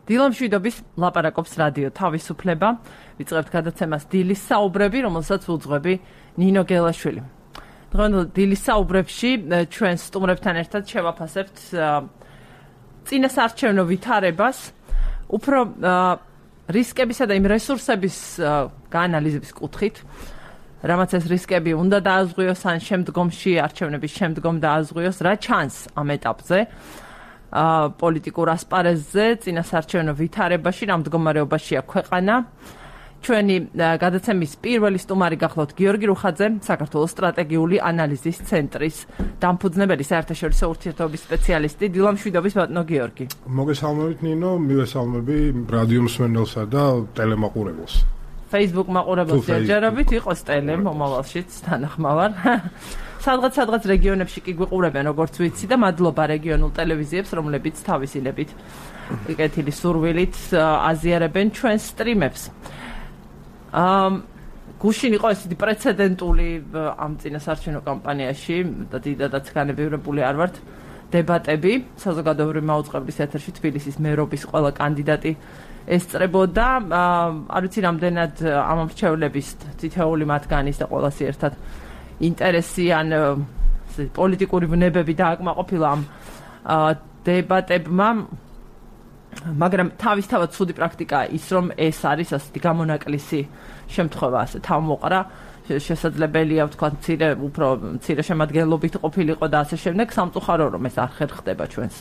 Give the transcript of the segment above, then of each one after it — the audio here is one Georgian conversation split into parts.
დილამშვიდობის ლაპარაკობს რადიო თავისუფლება. ვიწყებთ გადაცემას დილის საუბრები, რომელსაც უძღვები ნინო გელაშვილი. დღევანდელ დილის საუბრებში ჩვენ სტუმრებთან ერთად შევაფასებთ წინასაარჩევნო ვითარებას, უფრო რისკებისა და იმ რესურსების გაანალიზების კუთხით, რამაც ეს რისკები უნდა დააზღვიოს ან შემდგომში არჩევნების შემდგომ დააზღვიოს, რა ჩანს ამ ეტაპზე. პოლიტიკურ ასპარეზზე, წინასაარჩევნო ვითარებაში, რა მდგომარეობაშია ქვეყანა. ჩვენი გადაცემის პირველი სტუმარი გახლავთ გიორგი რუხაძე, საქართველოს სტრატეგიული ანალიზის ცენტრის დამფუძნებელი, საერთაშორისო ურთიერთობების სპეციალისტი. დილამშვიდობის ბატონო გიორგი. მოგესალმებით ნინო, მივესალმები რადიო მსმენელსა და ტელემაყურებელს. Facebook მაყურებელს ჯერჯერობით იყოს ტელე მომავალშიც თანახმოვარ. სადღაც რეგიონებში კი გვიყურებენ, როგორც ვიცი და მადლობა რეგიონულ ტელევიზიებს, რომლებიც თავისილებით კეთილი სურვილით აზიარებენ ჩვენს სტრიმებს. გუშინ იყო ესეთი პრეცედენტული ამ წინასაარჩევნო კამპანიაში და დიდადაც განებივრებული არ ვართ დებატები საზოგადოებრივი მაუწყებლის ეთერში თბილისის მერობის ყველა კანდიდატი ესწრებოდა. არ ვიცი რამდენად ამ მრჩევლების თითოეული მათგანის და ყველასი ერთად ინტერესი ან პოლიტიკური ვნებები დააკმაყოფილა ამ დებატებმა, მაგრამ თავისთავად ცუდი პრაქტიკაა ის, რომ ეს არის ასეთი გამონაკლისი შემთხვევა, ასე თავმოყრა, შესაძლებელია ვთქვათ უფრო მცირე შემადგენლობით ყოფილიყო და ასე შემდეგ. სამწუხარო რომ ეს არ ხერხდება ჩვენს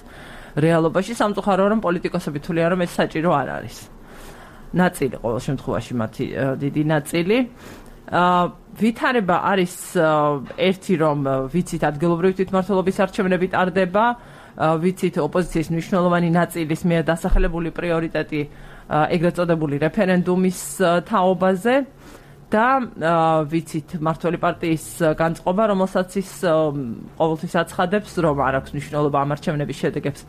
რეალობაში, სამწუხარო რომ პოლიტიკოსები თვლიან რომ ეს საჭირო არ არის. ნაწილი ყოველ შემთხვევაში მათი დიდი ნაწილი. ვითარება არის ერთი, რომ ვიცით ადგილობრივი თვითმმართველობის არჩევნები ტარდება, ვიცით ოპოზიციის მნიშვნელოვანი ნაწილის მიერ დასახელებული პრიორიტეტი ეგრეთ წოდებული რეფერენდუმის თაობაზე და ვიცით მმართველი პარტიის განწყობა, რომელსაც ის ყოველთვის აცხადებს, რომ არ აქვს მნიშვნელობა ამ არჩევნების შედეგებს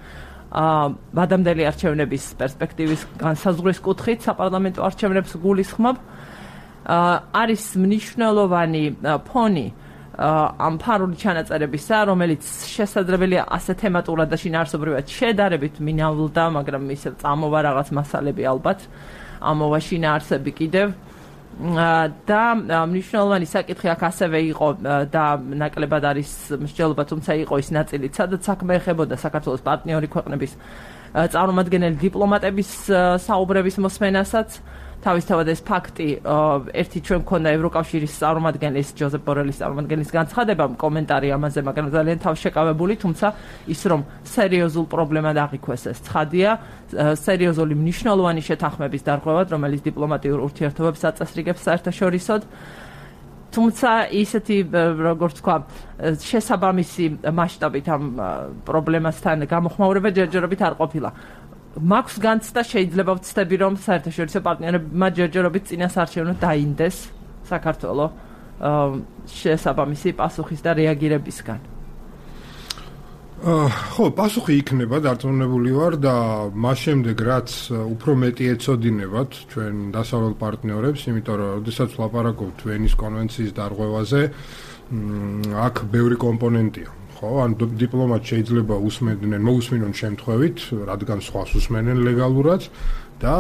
ვადამდელი არჩევნების პერსპექტივის განსაზღვრის კუთხით საპარლამენტო არჩევნებს გულისხმობ. არის მნიშვნელოვანი ფონი ამ ფარული ჩანაწერებისა, რომელიც შესაძლებელია ასე თემატურად და შინაარსობრივად შედარებით მინავლდა, მაგრამ ისევ წამოვა რაღაც მასალები ალბათ, ამოვა შინაარსები კიდევ. და მნიშვნელოვანი საკითხი აქ ასევე იყო და ნაკლებად არის მსჯელობა, თუმცა იყო ის ნაწილიც, სადაც საქმე ეხებოდა საქართველოს პარტნიორი ქვეყნების წარმომადგენელი დიპლომატების საუბრების მოსმენასაც. თავისთავად ეს ფაქტი ერთი ჩვენ მქონდა ევროკავშირის წარმომადგენლის ჯოზეფ ბორელის წარმომადგენლის განცხადება, კომენტარი ამაზე, მაგრამ ძალიან თავშეკავებული, თუმცა ის რომ სერიოზულ პრობლემად აღიქვეს ეს ცხადია, სერიოზული მნიშვნელოვანი შეთანხმების დარღვევად, რომელიც დიპლომატიურ ურთიერთობებს აწესრიგებს საერთაშორისოდ. თუმცა ისეთი როგორც თქვა შესაბამისი მასშტაბით ამ პრობლემასთან გამოხმაურება ჯერჯერობით არ ყოფილა. მაქვს განცდა, შეიძლება ვცდები, რომ საერთაშორისო პარტნიორებმა ჯერჯერობით წინასაარჩევნო დაინდეს საქართველოს შესაბამისი პასუხის და რეაგირებისგან. ხო, პასუხი იქნება, დარწმუნებული ვარ და მას შემდეგ რაც უფრო მეტი ეცოდინებათ ჩვენ დასავლელ პარტნიორებს, იმიტომ რომ როდესაც ვლაპარაკობთ ვენის კონვენციის დარღვევაზე, აქ ბევრი კომპონენტია. ხო, ან დიპლომატ შეიძლება მოусმინონ შემთხვევით, რადგან სხვას უსმენენ ლეგალურად და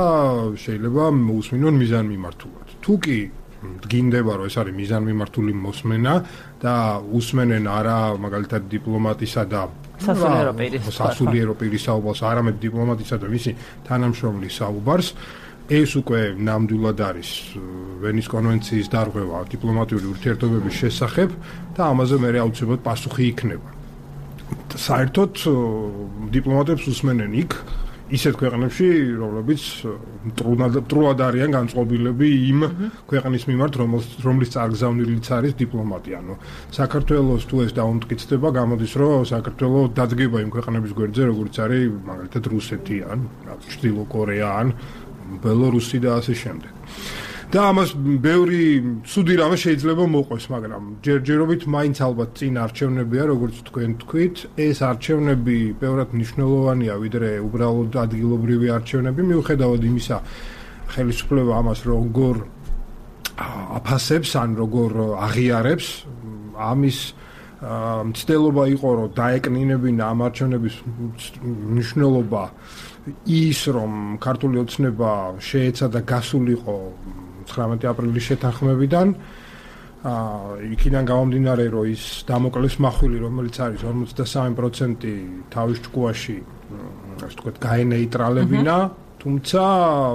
შეიძლება მოусმინონ მიზანმიმართულად. თუ კი დგინდება, რომ ეს არის მიზანმიმართული მოსმენა და უსმენენ არა მაგალითად დიპლომატისა და სასულიერო პირის საუბარს, არამედ დიპლომატისა და მისი თანამშრომლის საუბარს, ეს უკვე ნამდვილად არის ვენის კონვენციის დარღვევა დიპლომატიური ურთიერთობების შესახებ და ამაზე მე აუცილებლად პასუხი იქნება. საერთოდ დიპლომატებს უსმენენ იქ ისეთ ქვეყნებში, რომლებიც მტრულად არიან განწყობილები იმ ქვეყნის მიმართ, რომლის წარგზავნილიც არის დიპლომატია. ანუ საქართველოს თუ ეს დაუმტკიცდება, გამოდის, რომ საქართველოს დადგება იმ ქვეყნების გვერდზე, როგორც არის მაგალითად რუსეთი ან ჩრდილო კორეა ან ბელორუსი და ასე შემდეგ. და ამას ბევრი ცუდი რამე შეიძლება მოყვეს, მაგრამ ჯერჯერობით მაინც ალბათ წინ არჩევნებია, როგორც თქვენ თქვით, ეს არჩევნები ბევრად მნიშვნელოვანია, ვიდრე უბრალოდ ადგილობრივი არჩევნები, მიუხედავად იმისა, ხელისუფლება ამას როგორ აფასებს ან როგორ აღიარებს, ამის მცდელობა იყო, რომ დაეკნინებინა ამ არჩევნების მნიშვნელობა ის, რომ ქართული ოცნება შეეცადა გასულიყო 19 აპრილის შეთანხმებიდან. იქიდან გამომდინარე, რომ ის დამოკლეს მახვილი, რომელიც არის 53% თავის ჭკუაში, ასე ვთქვათ, გაენეიტრალებინა, თუმცა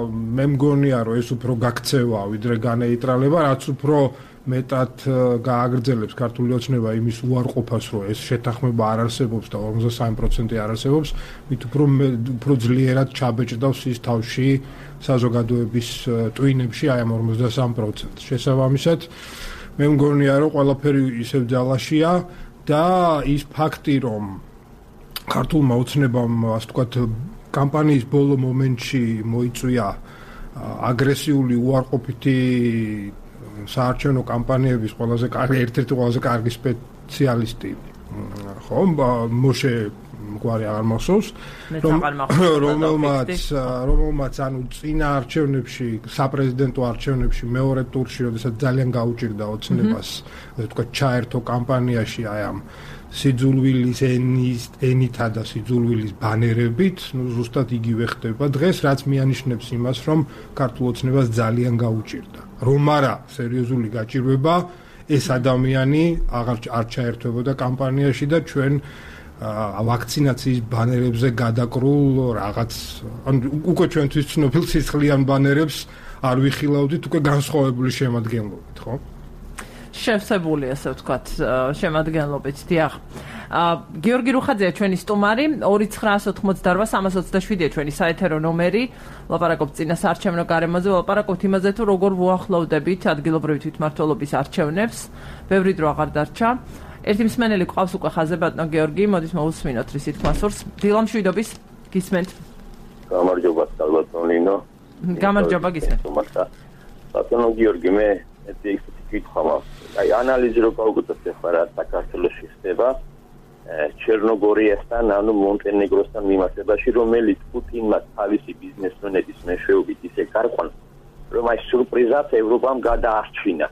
მე მგონია, რომ ეს უფრო გაქცევა, ვიდრე განეიტრალება, რაც უფრო მეტად გააგრძელებს ქართული ოცნება იმის უარყოფას, რომ ეს შეთანხმება არ არსებობს და 53% არ არსებობს, მით უფრო ძლიერად ჩაბეჭდავს ის თავში საზოგადოების ტვინებში აი ამ 53%. შესაბამისად, მე მგონია, რომ ყველაფერი ისევ ძალაშია და ის ფაქტი, რომ ქართულმა ოცნებამ, ასე ვთქვათ, კამპანიის ბოლო მომენტში მოიწვია აგრესიული უარყოფითი საარჩევნო კამპანიების ერთ-ერთი ყველაზე კარგი სპეციალისტი, ხო, მოშე გვარი აღარ მახსოვს, რომელმაც ანუ წინა არჩევნებში, საპრეზიდენტო არჩევნებში მეორე ტურში, როდესაც ძალიან გაუჭირდა ოცნებას, ასე ვთქვათ, ჩაერთო კამპანიაში აი ამ სიძულვილის ენითა და სიძულვილის ბანერებით, ზუსტად იგივე ხდება დღეს, რაც მიანიშნებს იმას, რომ ქართულ ოცნებას ძალიან გაუჭირდა. რომ არა სერიოზული გაჭირვება, ეს ადამიანი არ ჩაერთვებოდა კამპანიაში და ჩვენ ვაქცინაციის ბანერებზე გადაკრულ რაღაც, ანუ უკვე ჩვენთვის ცნობილ სისხლიან ბანერებს არ ვიხილავდით, უკვე განსხვავებული შემადგენლობით, ხო? შევსებული, ასე ვთქვათ, შემადგენლობით, დიახ. გიორგი რუხაძეა ჩვენი სტუმარი, 2988-327-ია ჩვენი საეთერო ნომერი. ლაპარაკობთ წინა საარჩევნო გარემოზე, ლაპარაკობთ იმაზე, თუ როგორ ვუახლოვდებით ადგილობრივი თვითმმართველობის არჩევნებს. ბევრი დრო აღარ დარჩა. ერთი მსმენელი ყავს უკვე ხაზზე, ბატონო გიორგი, მოდით მოვუსმინოთ რის თქმასურს. დილამშვიდობის, გისმენთ. გამარჯობა, ბატონო ლინო. გამარჯობა, გისმენთ. ბატონო გიორგი, მე ეს კითხვა აი ანალიზი რო გავუკეთოთ ახლა რა საქართველოში ხდება ჩერნოგორიასთან ანუ მონტენეგროსთან მიმართებაში რომელიც პუტინმა თავისი ბიზნესმენების მეშვეობით ისე გარყვან რომ აი სურპრიზად ევროპამ გადაარჩინა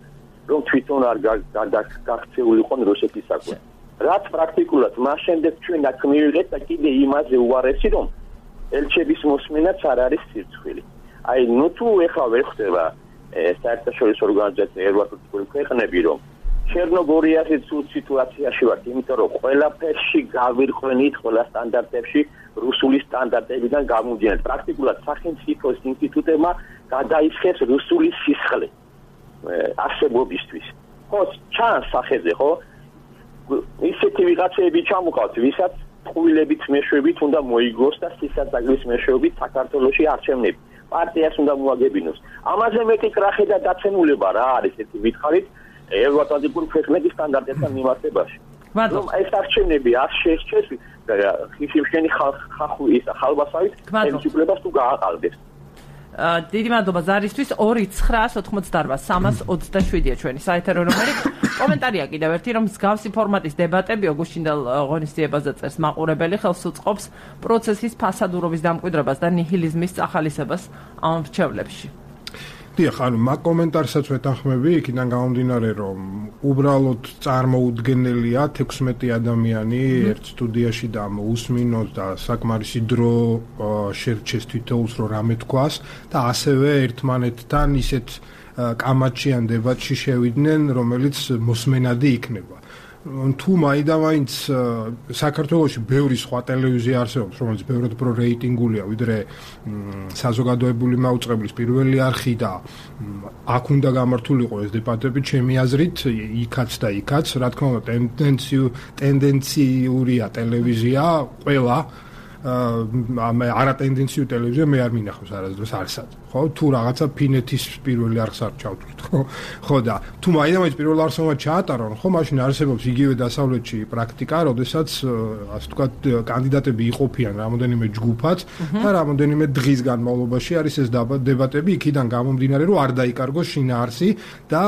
რომ თვითონ არ გაქცეულიყო რუსეთისაკენ რაც პრაქტიკულად მას შემდეგ ჩვენ აქ მივიღეთ და კიდე იმაზე უარესი რომ ელჩების მოსმენაც არ არის სირცხვილი აი ნუ თუ ეხლა ვერ ხდება საერთაშორისო ორგანიზაცია ევროპული ქვეყნები რომ ჩერნოგორიაზე ცუდ სიტუაციაში ვართ, იმიტომ რომ ყველაფერში გავირყვენით ყველა სტანდარტებში რუსული სტანდარტებიდან გამომდინარე. პრაქტიკულად სახელმწიფოს ინსტიტუტებმა გადაიხეს რუსული სისხლი არსებობისთვის. ხო, ჩანს სახეზე, ხო? ისეთი ვიღაცები ჩამოყავთ, ვისაც ტყუილებით მეშვეობით უნდა მოიგოს და სისადაგლის მეშვეობით საქართველოში არჩევნები. პარტიას უნდა მოაგებინოს. ამაზე მეტი კრახი და დაცემულება რა არის ერთი ვითხარით ევროატლანტიკური ქვეყნების სტანდარტებთან მიმართებაში. რომ ეს არჩევნები არ შეერჩეს ხიშიმშენი ხალბასავით ხელისუფლებას თუ გააყალბეს. დიდი მადლობა ზარისთვის 2988-327-ია ჩვენი საეთერო ნომერი. კომენტარია კიდევ ერთი რომ მსგავსი ფორმატის დებატები ოგუშინდელ ღონისძიებაზე წერს მაყურებელი ხელს უწყობს პროცესის ფასადურობის დამკვიდრებას და ნიჰილიზმის წახალისებას ამ რჩევლებში. დიახ, ანუ მაგ კომენტარსაც ვეთანხმები, იქიდან გამომდინარე, რომ უბრალოდ წარმოუდგენელია 16 ადამიანი ერთ სტუდიაში და უსმინოს და საკმარისი დრო შერჩეს თითოეულს რომ რამე თქვას და ასევე ერთმანეთთან ისეთ კამაჩიან დებატში შევიდნენ, რომელიც მოსმენადი იქნება. თუ მაინც საქართველოში ბევრი სხვა ტელევიზია არსებობს, რომელიც ბევრად უფრო რეიტინგულია, ვიდრე საზოგადოებული მაუწყებლის პირველი არხი და აქ უნდა გამართულიყო ეს დებატები, ჩემი აზრით, იქაც და იქაც, რა თქმა უნდა, ტენდენციურია ტელევიზია, ყველა არა ტენდენციური ტელევიზია მე არ მინახავს არასდროს არსად. ხო, თუ რაღაცა ფინეთის პირველი არხს არ ჩავთვლით, ხო და თუ მაინც პირველ არხსმა ჩაატარონ, ხო, მაშინ არსებობს იგივე დასავლეთში პრაქტიკა, როდესაც ასე ვთქვათ, კანდიდატები იყოფიან რამოდენიმე ჯგუფად და რამოდენიმე დღის განმავლობაში არის ეს დებატები, იქიდან გამომდინარე, რომ არ დაიკარგოს შინაარსი და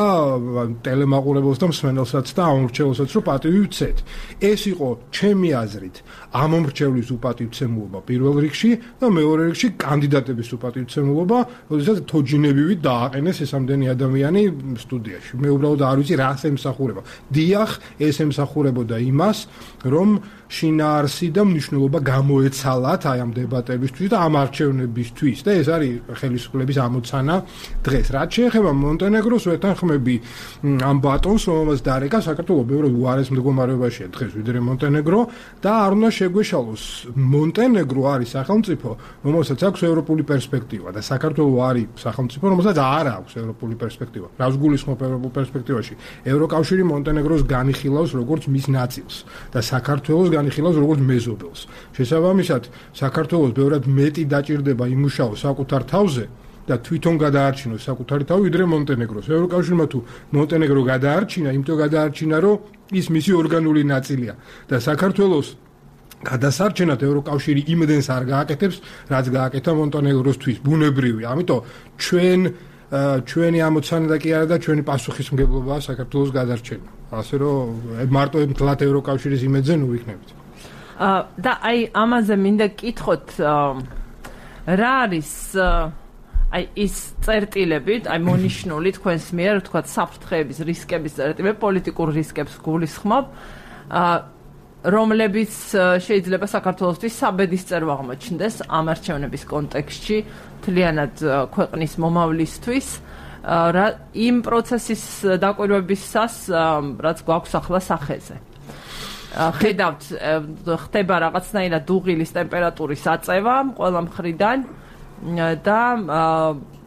ტელემაყურებელს და მსმენელსაც და ამომრჩეველსაც რომ პატივი ვცეთ. ეს იყო ჩემი აზრით ამომრჩევლის უპატივცემულობა პირველ რიგში და მეორე რიგში კანდიდატების უპატივცემულობა როდესაც თოჯინებივით დააყენეს ეს ამდენი ადამიანი სტუდიაში. მე უბრალოდ არ ვიცი რას ემსახურება. დიახ, ეს ემსახურებოდა იმას, რომ შინაარსი და მნიშვნელობა გამოეცალათ აი ამ დებატებისთვის და ამ არჩევნებისთვის და ეს არის ხელისუფლების ამოცანა დღეს. რაც შეეხება მონტენეგროს, ვეთანხმები ამ ბატონს, რომელმაც დარეკა საქართველოს ბევრად უარეს მდგომარეობაშია დღეს ვიდრე მონტენეგრო და არ უნდა შეგვეშალოს. მონტენეგრო არის სახელმწიფო, რომელსაც აქვს ევროპული პერსპექტივა და საქართველოს არის სახელმწიფო, რომელსაც არ აქვს ევროპული პერსპექტივა. რას გულისხმობ ევროპულ პერსპექტივაში? ევროკავშირი მონტენეგროს განიხილავს როგორც მის ნაწილს და საქართველოს განიხილავს როგორც მეზობელს. შესაბამისად, საქართველოს ბევრად მეტი დაჭირდება იმუშაოს საკუთარ თავზე და თვითონ გადაარჩინოს საკუთარი თავი ვიდრე მონტენეგროს. ევროკავშირმა თუ მონტენეგრო გადაარჩინა, იმიტომ გადაარჩინა, რომ ის მისი ორგანული ნაწილია და საქართველოს გადასარჩენად ევროკავშირი იმდენს არ გააკეთებს, რაც გააკეთა მონტენეგროსთვის. ბუნებრივი. ამიტომ ჩვენი ამოცანა და კი არა და ჩვენი პასუხისმგებლობაა საქართველოს გადარჩენა. ასე რომ მარტო მთლად ევროკავშირის იმედზე ნუ ვიქნებით. და აი ამაზე მინდა გკითხოთ რა არის აი ის წერტილები, აი მონიშნული თქვენს მიერ, თქვათ საფრთხეების, რისკების წერტილები, პოლიტიკურ რისკებს გულისხმობ, რომლებიც შეიძლება საქართველოსთვის საბედისწერო აღმოჩნდეს ამ არჩევნების კონტექსტში, მთლიანად ქვეყნის მომავლისთვის, იმ პროცესის დაკვირვებისას, რაც გვაქვს ახლა სახეზე. ხედავთ, ხდება რაღაცნაირად დუღილის ტემპერატურის აწევა ყველა მხრიდან და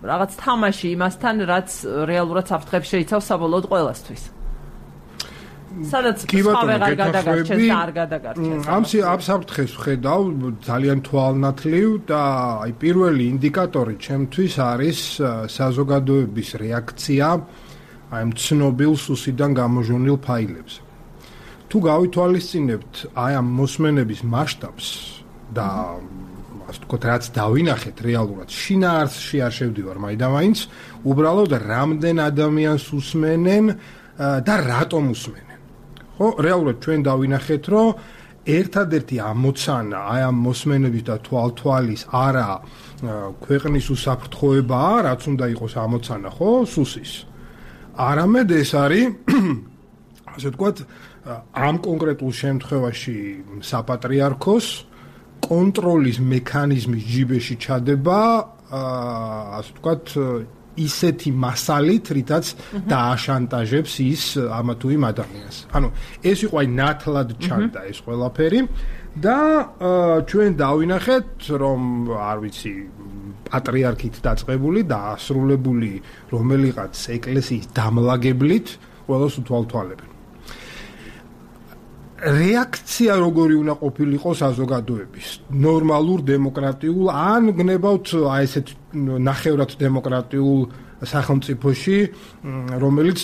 რაღაც თამაში იმასთან, რაც რეალურად საფრთხებს შეიცავს საბოლოოდ ყველასთვის. სადაც სხვა ვეღარ გადაგარჩენს და არ გადაგარჩენს. ამ საფრთხეს ვხედავ ძალიან თვალნათლივ და აი პირველი ინდიკატორი ჩემთვის არის საზოგადოების რეაქცია აი ცნობილ სუსიდან გამოჟონილ ფაილებზე. თუ გავითვალისწინებთ აი ამ მოსმენების მასშტაბს და ასე ვთქვათ, რაც დავინახეთ რეალურად, შინაარსში არ შევდივარ მაინც, უბრალოდ რამდენ ადამიანს უსმენენ და რატომ უსმენენ. ხო, რეალურად ჩვენ დავინახეთ, რომ ერთადერთი ამოცანა აი ამ მოსმენების და თვალთვალის არა ქვეყნის უსაფრთხოებაა, რაც უნდა იყოს ამოცანა, ხო, სუსის. არამედ ეს არის ასე ვთქვათ, ამ კონკრეტულ შემთხვევაში საპატრიარქოს კონტროლის მექანიზმის ჯიბეში ჩადება, ასე ვთქვათ, ისეთი მასალით, რითაც დააშანტაჟებს ის ამა თუ იმ ადამიანს. ანუ ეს იყო აი ნათლად ჩანდა ეს ყველაფერი და ჩვენ დავინახეთ, რომ არ ვიცი, პატრიარქით დაწყებული და ასრულებული რომელიღაც ეკლესიის დამლაგებლით ყველას უთვალთვალებენ. რეაქცია როგორი უნდა ყოფილიყო საზოგადოების ნორმალურ დემოკრატიულ ან გნებავთ აი ესეთ ნახევრად დემოკრატიულ სახელმწიფოში რომელიც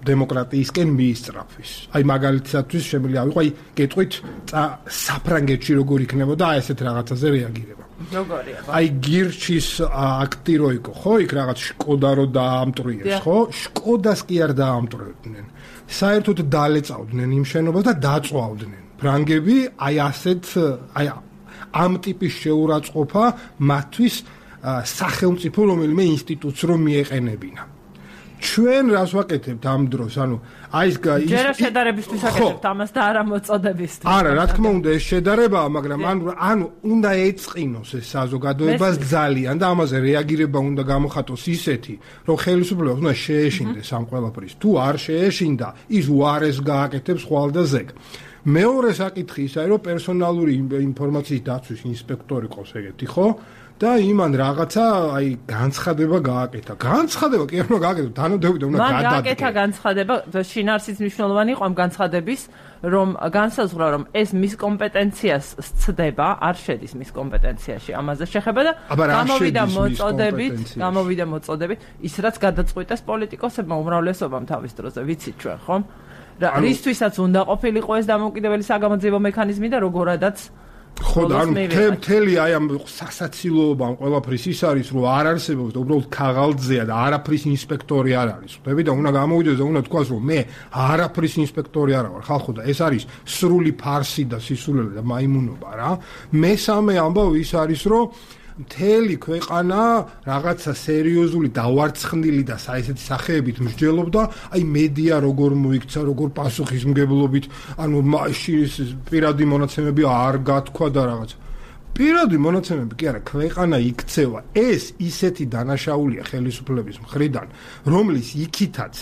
დემოკრატიისკენ მიისწრაფვის. აი მაგალითისათვის შემიძლია ავიღო აი კეთყვით საფრანგეთში როგორ იქნებოდა აი ესეთ რაღაცაზე რეაგირება. როგორია? აი გირჩის აქტი რო იყო, ხო, იქ რაღაც შკოდა რო დაამტვრიეს, ხო? შკოდას კი არ დაამტვრევდნენ. საერთოდ დალეწავდნენ იმ შენობას და დაწვავდნენ. ფრანგები აი ასეთ აი ამ ტიპის შეურაცხყოფა მათთვის სახელმწიფო რომელიმე ინსტიტუტს რომ მიეყენებინა. ჩვენ რას ვაკეთებთ ამ დროს? ანუ აი ეს ჯერ შედარებისთვის აკეთებთ ამას და არა მოწოდებისთვის. არა, რა თქმა უნდა ეს შედარებაა, მაგრამ ანუ უნდა ეწყინოს ეს საზოგადოებას ძალიან და ამაზე რეაგირება უნდა გამოხატოს ისეთი, რომ ხელისუფლებას უნდა შეეშინდეს ამ ყველაფრის. თუ არ შეეშინდა, ის უარეს გააკეთებს ხვალ და ზეგ. მეორე საკითხი ის არის, რომ პერსონალური ინფორმაციის დაცვის ინსპექტორი ყავს ეგეთი, ხო? და იმან რაღაცა აი განცხადება გააკეთა. განცხადება კი არ უნდა გააკეთო, თანამდებობა უნდა გადადგეს. მაგ გააკეთა განცხადება, შინაარსის მნიშვნელოვანი იყო ამ განცხადების, რომ განსაზღვრა, რომ ეს მის კომპეტენციას სცდება, არ შედის მის კომპეტენციაში ამაზე შეხება და გამოვიდა მოწოდებით, ის რაც გადაწყვიტეს პოლიტიკოსებმა უმრავლესობამ თავის დროზე, ვიცით ჩვენ, ხო? რა რისთვისაც უნდა ყოფილიყო ეს დამოუკიდებელი საგამოძიებო მექანიზმი და როგორადაც ხო და ანუ მთელი აი ამ სასაცილოობა ამ ყველაფრის ის არის რომ არ არსებობს და უბრალოდ ქაღალდზეა და არაფრის ინსპექტორი არ არის. ხვდები და უნდა გამოვიდეს და უნდა თქვას რომ მე არაფრის ინსპექტორი არა ვარ. ხალხო და ეს არის სრული ფარსი და სისულელე და მაიმუნობა რა. მესამე ამბავი ის არის რომ მთელი ქვეყანა რაღაცა სერიოზული დავარცხნილი და ესეთი სახეებით მსჯელობდა, აი მედია როგორ მოიქცა, როგორ პასუხისმგებლობით, ანუ პირადი მონაცემები არ გათქვა და რაღაცა. პირადი მონაცემები კი არა, ქვეყანა იქცევა. ეს ისეთი დანაშაულია ხელისუფლების მხრიდან, რომლის იქითაც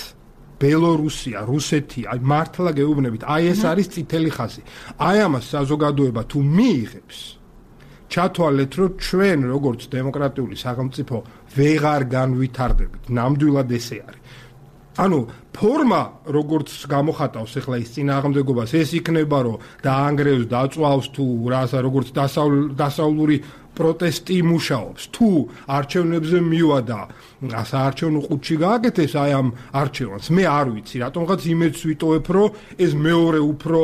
ბელორუსია, რუსეთი, აი მართლა გეუბნებით, აი ეს არის წითელი ხაზი. აი ამას საზოგადოება თუ მიიღებს, ჩათვალეთ, რომ ჩვენ როგორც დემოკრატიული სახელმწიფო ვეღარ განვითარდებით, ნამდვილად ესე არის. ანუ ფორმა როგორც გამოხატავს ახლა ის წინააღმდეგობას, ეს იქნება, რომ დაანგრევს, დაწვავს თუ რასა როგორც დასავლური პროტესტი იმუშაობს. თუ არჩევნებზე მივადა, საარჩევნო ყუთში გააკეთეს აი ამ არჩევანს. მე არ ვიცი, რატომღაც იმედს ვიტოვებ, რომ ეს მეორე უფრო,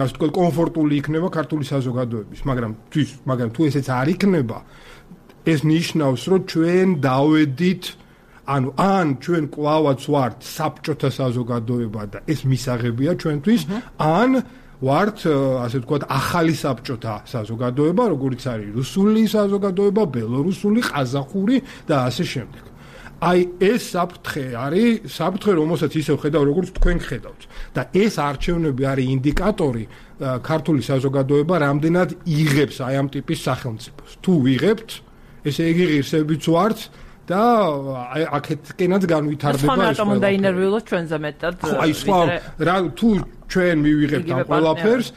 ასე ვთქვათ, კომფორტული იქნება ქართული საზოგადოების, მაგრამ თუ ესეც არ იქნება, ეს ნიშნავს, რომ ჩვენ დავედით ან ჩვენ კვლავაც ვართ საბჭოთა საზოგადოება და ეს მისაღებია ჩვენთვის, ან ვართ, ასე ვთქვათ, ახალი საბჭოთა საზოგადოება, როგორც არის რუსული საზოგადოება, ბელორუსული, ყაზახური და ასე შემდეგ. აი ეს საფრთხე არის, საფრთხე, რომელსაც ისევ ხედავ, როგორც თქვენ ხედავთ. და ეს არჩევნები არის ინდიკატორი ქართული საზოგადოება რამდენად იღებს აი ამ ტიპის სახელმწიფოს. თუ ვიღებთ, ესე იგი ღირსებიც ვართ და აქეთკენაც განვითარდება ეს. რატომ უნდა ინერვიულოთ ჩვენზე მეტად? აი სხვა თუ ჩვენ მივიღებთ ამ ყველაფერს,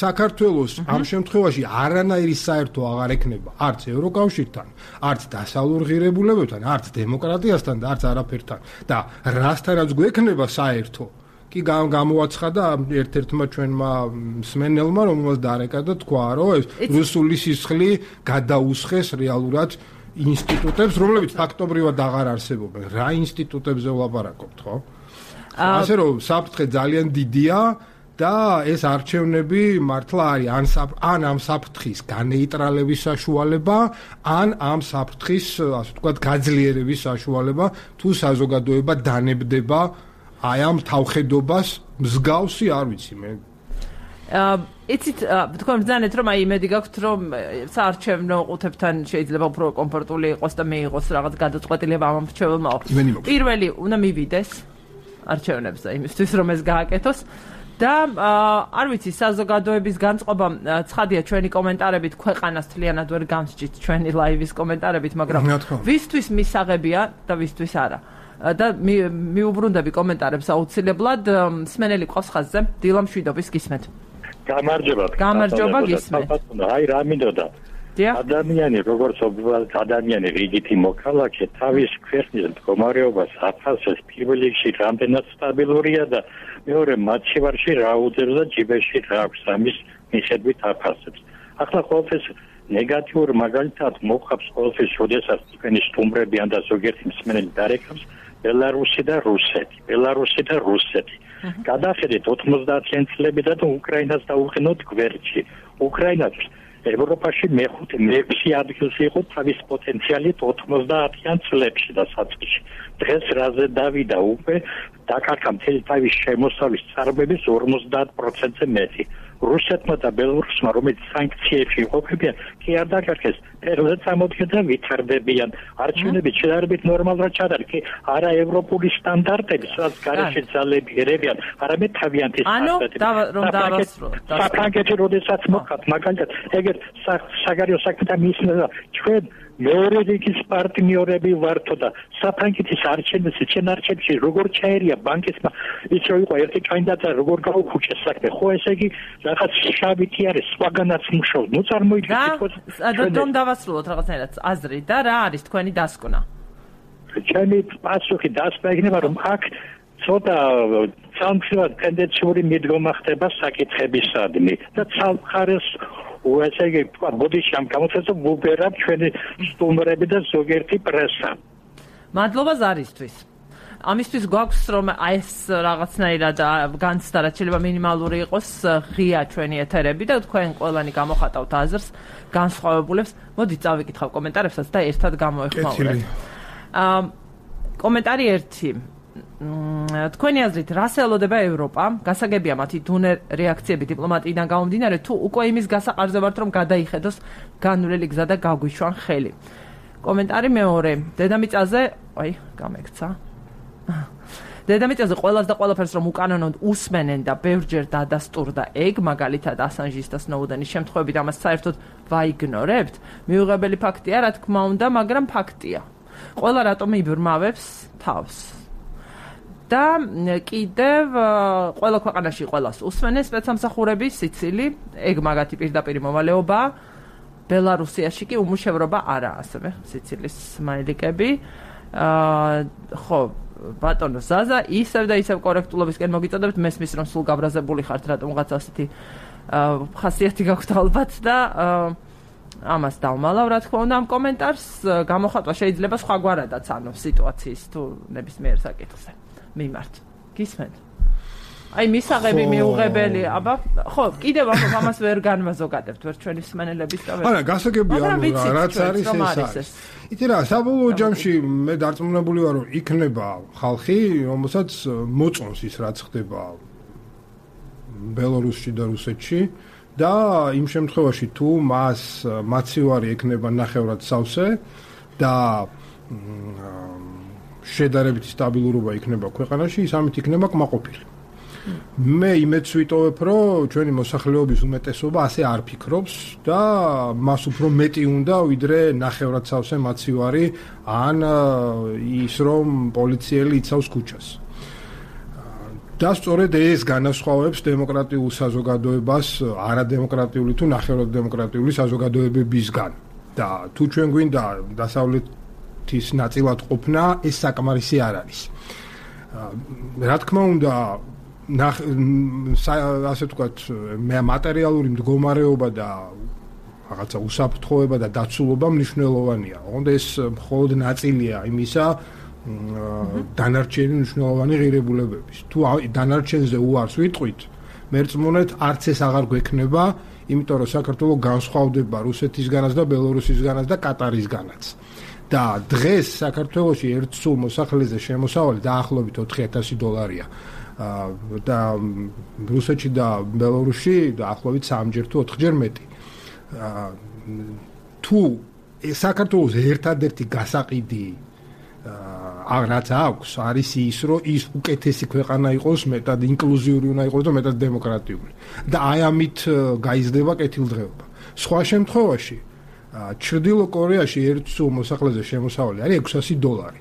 საქართველოს ამ შემთხვევაში არანაირი საერთო აღარ ექნება არც ევროკავშირთან, არც დასავლურ ღირებულებებთან, არც დემოკრატიასთან და არც არაფერთან. და რასთანაც გვექნება საერთო, კი გამოაცხადა ერთ-ერთმა ჩვენმა მსმენელმა, რომელსაც დარეკა და თქვა, რომ ეს რუსული სისხლი გადაუსხეს რეალურად ინსტიტუტებს, რომლებიც ფაქტობრივად აღარ არსებობენ. რა ინსტიტუტებზე ვლაპარაკობთ, ხო? ასე რომ საფრთხე ძალიან დიდია და ეს არჩევნები მართლა არის ან ამ საფრთხის განეიტრალების საშუალება, ან ამ საფრთხის, ასე ვთქვათ, გაძლიერების საშუალება, თუ საზოგადოება დანებდება აი ამ თავხედობას მსგავსი, არ ვიცი მე. იცით, თქვენ ბრძანეთ, რომ აი იმედი გაქვთ, რომ საარჩევნო ყუთებთან შეიძლება უფრო კომფორტული იყოს და მიიღოს რაღაც გადაწყვეტილება ამ მრჩეველმაო. პირველი უნდა მივიდეს არჩევნებზე იმისთვის, რომ ეს გააკეთოს. და არ ვიცი, საზოგადოების განწყობა ცხადია ჩვენი კომენტარებით ქვეყანას თლიანად ვერ გამსჭით ჩვენი ლაივის კომენტარებით, მაგრამ ვისთვის მისაღებია და ვისთვის არა. და მიუბრუნდები კომენტარებს აუცილებლად. მსმენელი ყავს ხაზზე, დილა მშვიდობის გისმენთ. გამარჯობა გისმენთ. აი რა მინდოდა. ადამიანი როგორც ადამიანი რიგითი მოქალაქე თავის ქვეყნის მდგომარეობას აფასებს პირველ რიგში რამდენად სტაბილურია და მეორე მათშივარში რა უძებს და ჯიბეში რა აქვს ამის მიხედვით აფასებს. ახლა ყოველთვის ნეგატიურ მაგალითად მოხავს ყოველთვის, როდესაც თქვენი სტუმრები ან და ზოგიერთი მსმენელი დარეკავს ბელარუსი და რუსეთი. გადახედეთ 90-იან წლებიდან და უკრაინას დაუყენოთ გვერდში. უკრაინაც ევროპაში მე-6 ადგილს იყო თავის პოტენციალით 90-იან წლებში და საწყისში. დღეს რაზე დავიდა უკვე დაკარგა მთელი თავის შემოსავლის წარმოების 50%-ზე მეტი. რუსეთმა და ბელორუსმა, რომელიც სანქციებში იყოფებიან, კი არ დაკარგეს, ფერზე წამოდგენ და ვითარდებიან. არჩევნები შედარებით ნორმალურად ჩადარეს, კი არა ევროპული სტანდარტები, სადაც გარეშე ძალები ერებიან, არამედ თავიანთი სტანდარტები. რომ დავასრულოთ. საფრანგეთი როდესაც მოხდა, მაგალითად, ეგერ საგარეო საქმეთა მინისტრმა ჩვენ მეორე რიგის პარტნიორები ვართო და საფრანგეთის არჩევნებში როგორ ჩაერია ბანკისმა ის რომ იყო ერთი კანდიდატი როგორ გაუხუჭეს საქმე, ხო ესე იგი რაღაც შავითი არის, სხვაგანაც მუშაობს. ნუ წარმოიდგინეთ, რომ დავასრულოთ რაღაცნაირად აზრი და რა არის თქვენი დასკვნა? ჩემი პასუხი დასკვნა იქნება, რომ აქ ცოტა სამხრივად ტენდენციური მიდგომა ხდება საკითხებისადმი და ცალმხარეს ესე იგი ბოდიში ამ გამოცხადებას ვუბერებ ჩვენი სტუმრები და ზოგიერთი პრესა. მადლობა ზარისთვის. ამისთვის გვაქვს რომ ეს რაღაცნაირად განცდა რაც შეიძლება მინიმალური იყოს ღია ჩვენი ეთერები და თქვენ ყველანი გამოხატავთ აზრს განსხვავებულებს. მოდით წავიკითხავ კომენტარებსაც და ერთად გამოეხმაურებთ. კომენტარი 1. თქვენი აზრით, რას ელოდება ევროპა? გასაგებია მათი დუნე რეაქციები დიპლომატიიდან გამომდინარე, თუ უკვე იმის გასაყარზე ვართ, რომ გადაიხედოს განვლილი გზა და გაგვიშვან ხელი. კომენტარი მეორე. დედამიწაზე, გამექცა. დედამიწაზე ყველას და ყველაფერს რომ უკანონოდ უსმენენ და ბევრჯერ დადასტურდა ეგ, მაგალითად ასანჟის და სნოუდენის შემთხვევებით ამას საერთოდ ვაიგნორებთ. მიუღებელი ფაქტია, რა თქმა უნდა, მაგრამ ფაქტია. ყველა რატომ იბრმავებს თავს. და კიდევ ყველა ქვეყანაში ყველას უსმენენ სპეცსამსახურები, სიცილი, ეგ მაგათი პირდაპირ მოვალეობა. ბელარუსიაში კი უმუშევრობა არაა, ასევე სიცილის სმაილიკები. ხო, ბატონო ზაზა, ისევ და ისევ კორექტულობისკენ მოგიწოდებთ, მესმის რომ სულ გაბრაზებული ხართ, რატომღაც ასეთი ხასიათი გაქვთ ალბათ და ამას დავმალავ, რა თქმა უნდა, ამ კომენტარს გამოხატვა შეიძლება სხვაგვარადაც, ანუ სიტუაციის თუ ნებისმიერ საკითხზე მიმართ. გისმენთ? აი მისაღები მიუღებელი, აბა, ხო, კიდევ ამას ვერ განმაზოგადებთ ვერ ჩვენი მსმენელების და ვერ. არა, გასაგებია, რაც არის ეს. იცი რა, საბოლოო ჯამში მე დარწმუნებული ვარ, რომ იქნება ხალხი, რომელსაც მოწონს ის, რაც ხდება ბელარუსში და რუსეთში და იმ შემთხვევაში თუ მას მაცივარი ექნება ნახევრად სავსე და შედარებითი სტაბილურობა იქნება ქვეყანაში, ის ამით იქნება კმაყოფილი. მე იმედს ვიტოვებ, რომ ჩვენი მოსახლეობის უმეტესობა ასე არ ფიქრობს და მას უფრო მეტი უნდა, ვიდრე ნახევრად სავსე მაცივარი ან ის, რომ პოლიციელი იცავს ქუჩას. და სწორედ ეს განასხვავებს დემოკრატიულ საზოგადოებას არადემოკრატიული თუ ნახევრად დემოკრატიული საზოგადოებებისგან. და თუ ჩვენ გვინდა დასავლეთის ნაწილად ყოფნა, ეს საკმარისი არ არის. რა თქმა უნდა, ასე ვთქვათ, მატერიალური მდგომარეობა და რაღაცა უსაფრთხოება და დაცულობა მნიშვნელოვანია. ოღონდ ეს მხოლოდ ნაწილია იმისა, დანარჩენი მნიშვნელოვანი ღირებულებების. თუ დანარჩენზე უარს ვიტყვით, მერწმუნეთ, არც ეს აღარ გვექნება, იმიტომ რომ საქართველო განსხვავდება რუსეთისგანაც და ბელორუსისგანაც და კატარისგანაც. და დღეს საქართველოში ერთ სულ მოსახლეზე შემოსავალი დაახლოებით $4,000 და რუსეთში და ბელორუსში დაახლოებით 3-ჯერ თუ 4-ჯერ მეტი. თუ საქართველოს ერთადერთი გასაყიდი რაც აქვს, არის ის, რომ ის უკეთესი ქვეყანა იყოს, მეტად ინკლუზიური უნდა იყოს და მეტად დემოკრატიული. და აი ამით გაიზრდება კეთილდღეობა. სხვა შემთხვევაში, ჩრდილო კორეაში ერთ სულ მოსახლეზე შემოსავალი არის $600.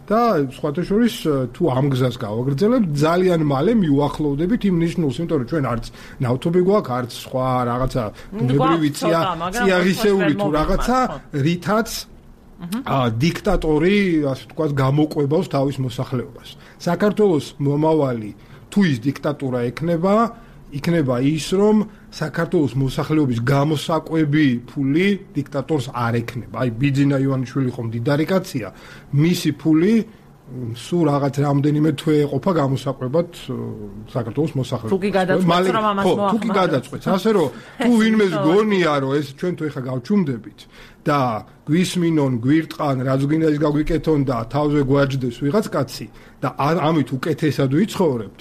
და სხვათა შორის თუ ამ გზას გავაგრძელებთ, ძალიან მალე მივახლოვდებით იმ ნიშნულს, იმიტომ რომ ჩვენ არც ნავთობი გვაქვს, არც სხვა რაღაცა ბუნებრივი წიაღისეული თუ რაღაცა, რითაც დიქტატორი, ასე ვთქვათ, გამოყვებავს თავის მოსახლეობას. საქართველოს მომავალი თუ ის დიქტატურა იქნება ის, რომ საქართველოს მოსახლეობის გამოსაკვები ფული დიქტატორს არ ექნება. აი ბიძინა ივანიშვილი ხომ დიდარი კაცია, მისი ფული სულ რაღაც რამდენიმე თვე ეყოფა გამოსაკვებად საქართველოს მოსახლეობას. თუ კი გადაწყვეტს რომ ამას მოახმაროს. თუ კი გადაწყვეტს, ასე რომ თუ ვინმეს გონია რომ ეს ჩვენ თუ ეხა გავჩუმდებით და გვისმინონ, გვირტყან, რაც გვინდა ის გაგვიკეთონ და თავზე გვაჯდეს ვიღაც კაცი და ამით უკეთესად ვიცხოვრებთ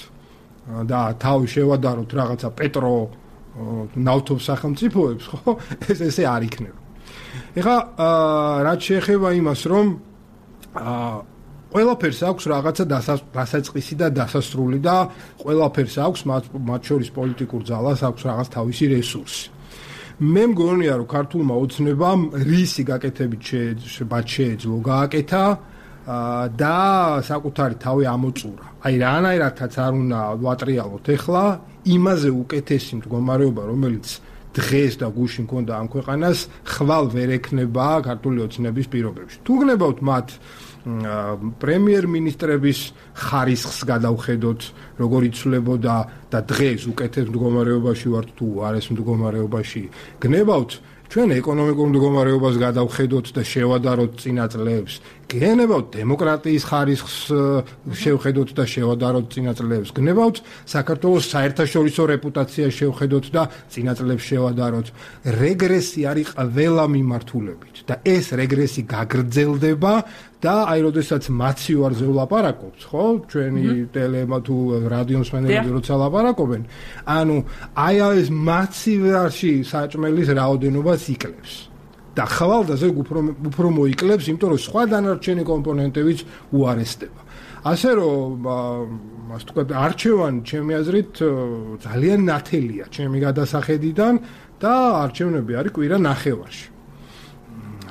და თავი შევადაროთ რაღაცა პეტრო ნავთობ სახელმწიფოებს, ხო? ეს ესე არ იქნება. ეხლა რაც შეეხება იმას, რომ ყველაფერს აქვს რაღაცა დასაწყისი და დასასრული და ყველაფერს აქვს მათ შორის პოლიტიკურ ძალას აქვს რაღაც თავისი რესურსი. მე მგონია, რომ ქართულმა ოცნებამ რისი გაკეთებით შეეძლო გააკეთა და საკუთარი თავი ამოწურა. აი რანაირადაც არ უნდა ვატრიალოთ ეხლა იმაზე უკეთესი მდგომარეობა, რომელიც დღეს და გუშინ მქონდა ამ ქვეყანას, ხვალ ვერ ექნება ქართული ოცნების პირობებში. თუ გნებავთ მათ პრემიერ-მინისტრების ხარისხს გადავხედოთ, როგორ იცვლებოდა და დღეს უკეთეს მდგომარეობაში ვართ თუ არ ეს მდგომარეობაში გნებავთ, ჩვენ ეკონომიკურ მდგომარეობას გადავხედოთ და შევადაროთ წინა წლებს, გენებავთ დემოკრატიის ხარისხს შევხედოთ და შევადაროთ წინა წლებს. გნებავთ საქართველოს საერთაშორისო რეპუტაციას შევხედოთ და წინა წლებს შევადაროთ. რეგრესი არის ყველა მიმართულებით და ეს რეგრესი გაგრძელდება და აი როდესაც მაციوارზე ვლაპარაკობთ, ხო? ჩვენი ტელემა თუ რადიო მსმენელები როცა ლაპარაკობენ, ანუ აი ეს მაცივარში საჭმელის რაოდენობას იკლებს. და ხვალდაზე უფრო მოიკლებს, იმიტომ რომ სხვა დანარჩენი კომპონენტებიც უარესდება. ასე რომ, ასე ვთქვათ, არჩევანი ჩემი აზრით ძალიან ნათელია ჩემი გადასახედიდან და არჩევნები არის კვირა ნახევარში.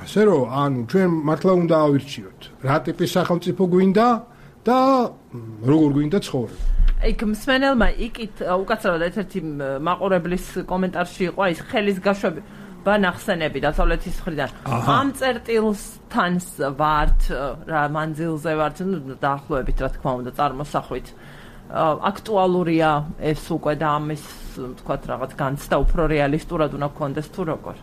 ასე რომ, ანუ ჩვენ მართლა უნდა ავირჩიოთ, რა ტიპის სახელმწიფო გვინდა და როგორ გვინდა ცხოვრება. იქ მსმენელმა იქით უკაცრავად ერთ-ერთი მაყურებლის კომენტარში იყო ის ხელის გაშვები ბანახსენები დასავლეთის მხრიდან. ამ წერტილთან ვართ, რა მანძილზე ვართ, დაახლოებით რა თქმა უნდა წარმოსახვით. აქტუალურია ეს უკვე და ამის თქვათ რაღაც განცდა უფრო რეალისტურად უნდა გქონდეს თუ როგორ?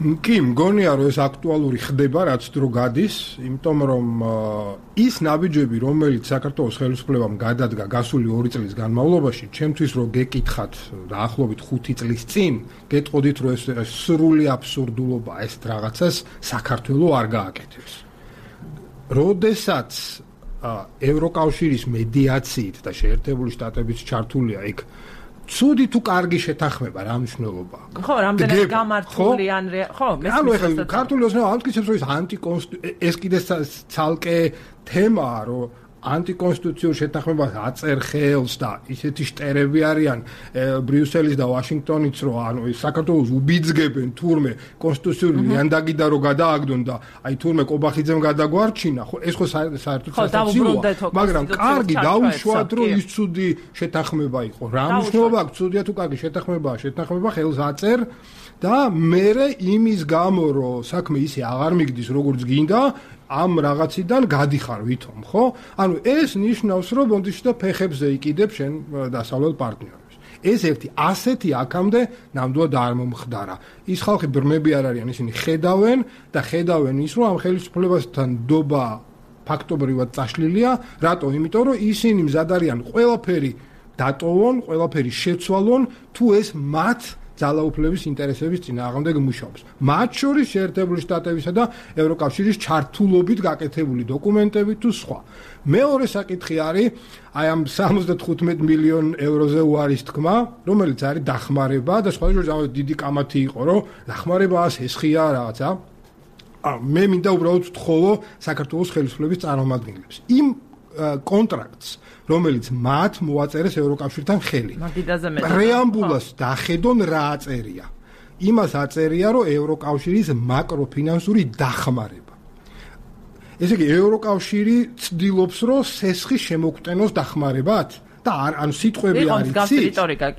კი, მგონია რომ ეს აქტუალური ხდება, რაც დრო გადის, იმიტომ რომ ის ნაბიჯები, რომელიც საქართველოს ხელისუფლებამ გადადგა გასული 2 წლის განმავლობაში, ჩემთვის რომ გეკითხათ დაახლოებით 5 წლის წინ, გეტყოდით რომ ეს სრული აბსურდულობა ეს რაღაცას საქართველოს არ გააკეთებს. როდესაც ევროკავშირის მედიაციით და შეერთებული შტატების ჩართულია იქ ცუდი თუ კარგი შეთანხმება რა მნიშვნელობა აქვს? ხო, რამდენად გამართული ან ხო, ანუ ეხლა ქართული ოცნება ამტკიცებს რომ ეს კიდე ცალკე თემაა, რომ ანტიკონსტიტუციურ შეთანხმებას აწერ ხელს და ისეთი შტერები არიან ბრიუსელის და ვაშინგტონიც, რომ ანუ საქართველოს უბიძგებენ თურმე კონსტიტუციური ლიანდაგიდა რომ გადააგდონ და აი თურმე კობახიძემ გადაგვარჩინა, ხო ეს ხო საერთოდ სასაცილოა, მაგრამ კარგი დაუშვათ რომ ის ცუდი შეთანხმება იყო. რა მნიშვნელობა აქვს ცუდია თუ კარგი შეთანხმება ხელს აწერ და მერე იმის გამო რომ საქმე ისე აღარ მიგდის როგორც გინდა ამ რაღაციდან გადიხარ ვითომ, ხო? ანუ ეს ნიშნავს, რომ ბონდიში და ფეხებზე იყიდებ შენ დასავლელ პარტნიორებს. ეს ერთი ასეთი აქამდე ნამდვილად არ მომხდარა. ის ხალხი ბრმები არ არიან, ისინი ხედავენ და ხედავენ ის, რომ ამ ხელისუფლებასთან დობა ფაქტობრივად წაშლილია. რატო? იმიტომ რომ ისინი მზად არიან ყველაფერი დატოვონ, ყველაფერი შეცვალონ, თუ ეს მათ ძალაუფლების ინტერესების წინააღმდეგ მუშაობს. მათ შორის შეერთებული შტატებისა და ევროკავშირის ჩართულობით გაკეთებული დოკუმენტები თუ სხვა. მეორე საკითხი არის აი ამ 75 მილიონ ევროზე უარის თქმა, რომელიც არის დახმარება და სხვადასხვა დიდი კამათი იყო, რომ დახმარება სესხია რაღაცა. მე მინდა უბრალოდ ვთხოვო საქართველოს ხელისუფლების წარმომადგენლებს. იმ კონტრაქტს რომელიც მათ მოაწერეს ევროკავშირთან ხელი. პრეამბულას დახედონ რა აწერია. იმას აწერია, რომ ევროკავშირის მაკროფინანსური დახმარება. ესე იგი ევროკავშირი ცდილობს, რომ სესხი შემოგვტენოს დახმარებად და ანუ სიტყვები არის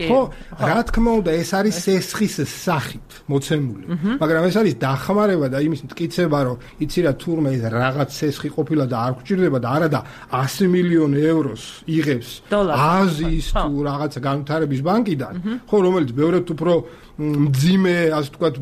ხო, რა თქმა უნდა ეს არის სესხის სახით მოცემული. მაგრამ ეს არის დახმარება და იმის მტკიცება, რომ იცი რა თურმე ეს რაღაც სესხი ყოფილა და არ გვჭირდება და არა და 100 მილიონ ევროს იღებს აზიის თუ რაღაცა განვითარების ბანკიდან, ხო, რომელიც ბევრად უფრო მძიმე, ასე ვთქვათ,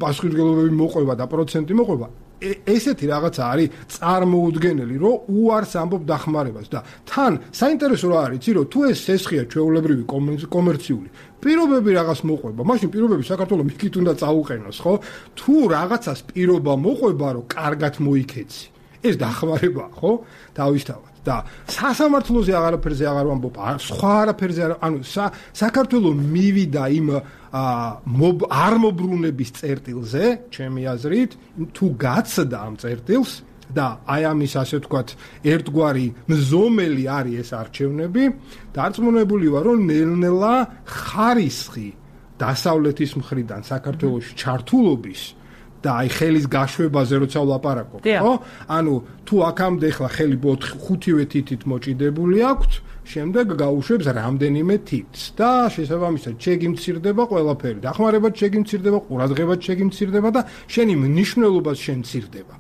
პასუხისმგებლობები მოყვება და პროცენტი მოყვება. ესეთი რაღაცა არის წარმოუდგენელი, რომ უარს ამბობ დახმარებას და თან საინტერესო რა არის, იცი რომ თუ ეს სესხია ჩვეულებრივი კომერციული პირობები რაღაც მოყვება, მაშინ პირობები საქართველოს მიქით უნდა წაუყენოს, ხო? თუ რაღაცას პირობა მოყვება, რომ კარგად მოიქეცი, ეს დახმარებაა, ხო? თავისთავად და სასამართლოზე აღარაფერზე აღარ ვამბობ, სხვა არაფერზე არ, ანუ საქართველოს მივიდა იმ არ მობრუნების წერტილზე, ჩემი აზრით, თუ გაცდა ამ წერტილს და აი ამის ასე ვთქვათ, ერთგვარი მზომელი არის ეს არჩევნები, დარწმუნებული ვარ, რომ ნელ-ნელა ხარისხი დასავლეთის მხრიდან საქართველოში ჩართულობის და აი ხელის გაშვებაზე როცა ვლაპარაკობ, ხო? ანუ თუ აქამდე ხლა ხელი 5-ვე თითით მოჭიდებული აქვთ, შემდეგ გაუშვებს რამდენიმე თითს და შესაბამისად ჩეგი მცირდება ყველაფერი. დახმარებად ჩეგი მცირდება, ყურადღებად ჩეგი მცირდება და შენი მნიშვნელობაც შენ მცირდება.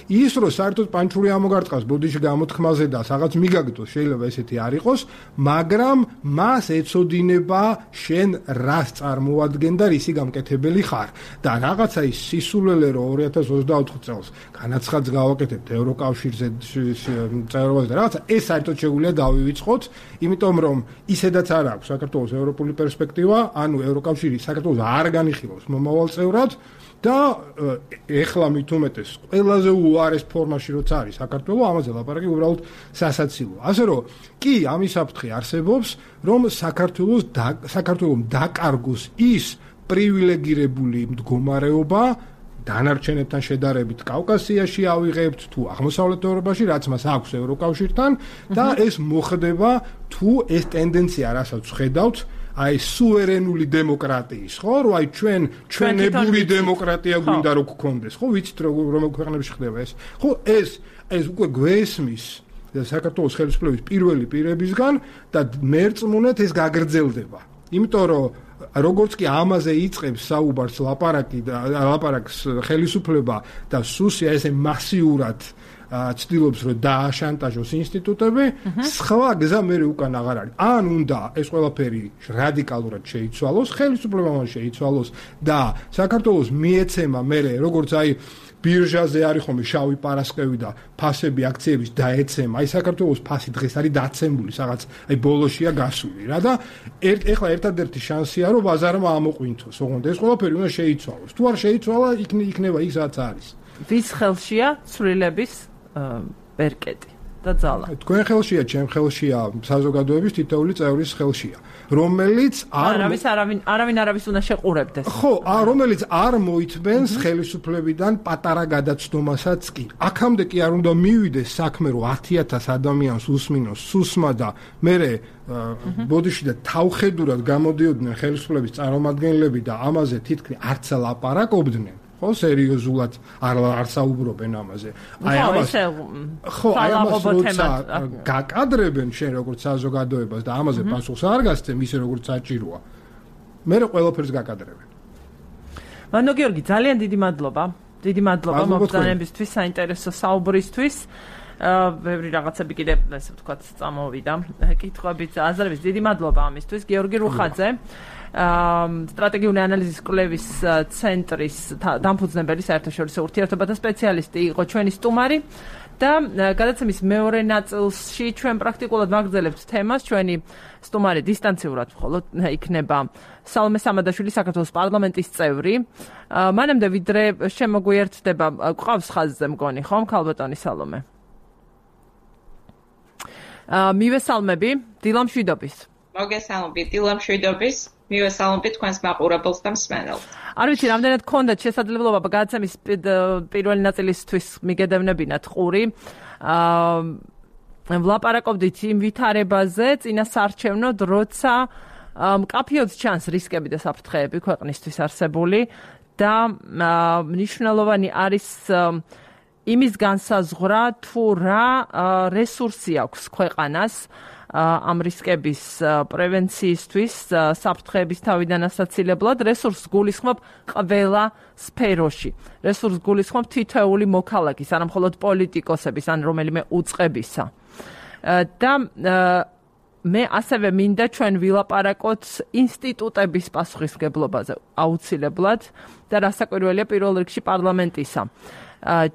ის რომ საერთოდ პანჩური ამოგარტყავს ბოდიში გამოთქმაზე და რაღაც მიგაგდოს შეიძლება ესეთი არ იყოს, მაგრამ მას ეწოდინება შენ რას წარმოადგენ და რისი გამკეთებელი ხარ და რაღაცა ის სისულელე რომ 2024 წელს განაცხადს გავაკეთებთ ევროკავშირზე წევრობაზე და რაღაცა ეს საერთოდ შეგვიძლია დავივიწყოთ, იმიტომ რომ ისედაც არ აქვს საქართველოს ევროპული პერსპექტივა, ანუ ევროკავშირი საქართველოს არ განიხილავს მომავალ წევრად და ეხლა მით უმეტეს ყველაზე უარეს ფორმაში როცა არის საქართველო, ამაზე ლაპარაკი უბრალოდ სასაცილოა. ასე რომ კი ამის საფრთხე არსებობს, რომ საქართველოს დაკარგოს ის პრივილეგირებული მდგომარეობა დანარჩენებთან შედარებით კავკასიაში ავიღებთ თუ აღმოსავლეთ ევროპაში, რაც მას აქვს ევროკავშირთან და ეს მოხდება თუ ეს ტენდენცია რასაც ხედავთ აი სუვერენული დემოკრატიის, ხო, რომ აი ჩვენებული დემოკრატია გვინდა რომ გქონდეს, ხო, ვიცით რომ ქვეყნებში ხდება ეს. ხო, ეს უკვე გვესმის საქართველოს ხელისუფლების პირველი პირებისგან და მერწმუნეთ ეს გაგრძელდება. იმიტომ რომ როგორც კი ამაზე იწყებს საუბარს ლაპარაკს ხელისუფლება და სუსია ესე მასიურად ცდილობს რომ დააშანტაჟოს ინსტიტუტები, სხვა გზა მე უკან აღარ არის. ან უნდა ეს ყველაფერი რადიკალურად შეიცვალოს, ხელისუფლებამ შეიცვალოს და საქართველოს მიეცემა მე როგორც აი ბირჟაზე არის ხომ შავი პარასკევი და ფასები აქციების დაეცემა. აი საქართველოს ფასი დღეს არის დაცემული, რაღაც აი ბოლოშია გასული რა და ეხლა ერთადერთი შანსია რომ ბაზარმა ამოყვინთოს. ოღონდ ეს ყველაფერი უნდა შეიცვალოს. თუ არ შეიცვალა, იქნება ის რაც არის. ვის ხელშია ცვლილების ბერკეტი და ძალა? თქვენ ხელშია, ჩემ ხელშია, საზოგადოების თითოეული წევრის ხელშია, რომელიც არავინ არავის უნდა შეყურებდეს. ხო, რომელიც არ მოითმენს ხელისუფლებიდან პატარა გადაცდომასაც კი. აქამდე კი არ უნდა მივიდეს საქმე, რომ 10,000 ადამიანს უსმინოს სუსმა და მერე ბოდიში და თავხედურად გამოდიოდნენ ხელისუფლების წარმომადგენლები და ამაზე თითქმის არც ლაპარაკობდნენ. ხო, სერიოზულად არ საუბრობენ ამაზე. აი ამას გაკადრებენ შენ როგორც საზოგადოებას და ამაზე პასუხს არ გასცემ ისე როგორც საჭიროა. მე ყველაფერს გაკადრებენ. მანო გიორგი, ძალიან დიდი მადლობა. დიდი მადლობა მოგზაურობისთვის, საინტერესო საუბრისთვის. ბევრი რაღაცები კიდე ესე ვთქვათ წამოვიდა. კითხვებით, აზრებით დიდი მადლობა ამისთვის. გიორგი რუხაძე სტრატეგიული ანალიზის კვლევის ცენტრის დამფუძნებელი, საერთაშორისო ურთიერთობათა სპეციალისტი იყო ჩვენი სტუმარი და გადაცემის მეორე ნაწილში ჩვენ პრაქტიკულად ვაგრძელებთ თემას. ჩვენი სტუმარი დისტანციურად მხოლოდ იქნება სალომე სამადაშვილი, საქართველოს პარლამენტის წევრი. მანამდე ვიდრე შემოგვიერთდება, გვყავს ხაზზე მგონი, ხომ, ქალბატონი სალომე? მივესალმები დილამშვიდობის. მოგესალმებით დილამშვიდობის. მივესალმებით თქვენს მაყურებელს და მსმენელს. არ ვიცი, რამდენად გქონდათ შესაძლებლობა გადაცემის პირველი ნაწილისთვის მიგედევნებინათ ყური. ვლაპარაკობდით იმ ვითარებაზე წინასაარჩევნოდ, როცა მკაფიოდ ჩანს რისკები და საფრთხეები ქვეყნისთვის არსებული და მნიშვნელოვანი არის იმის განსაზღვრა თუ რა რესურსი აქვს ქვეყანას ამ რისკების პრევენციისთვის, საფრთხეების თავიდან ასაცილებლად. რესურსს გულისხმობ ყველა სფეროში. რესურსს გულისხმობ თითოეული მოქალაქის, არა მხოლოდ პოლიტიკოსების, ან რომელიმე უწყებისა. და მე ასევე მინდა ჩვენ ვილაპარაკოთ ინსტიტუტების პასუხისმგებლობაზე აუცილებლად და რასაკვირველია პირველ რიგში პარლამენტისა.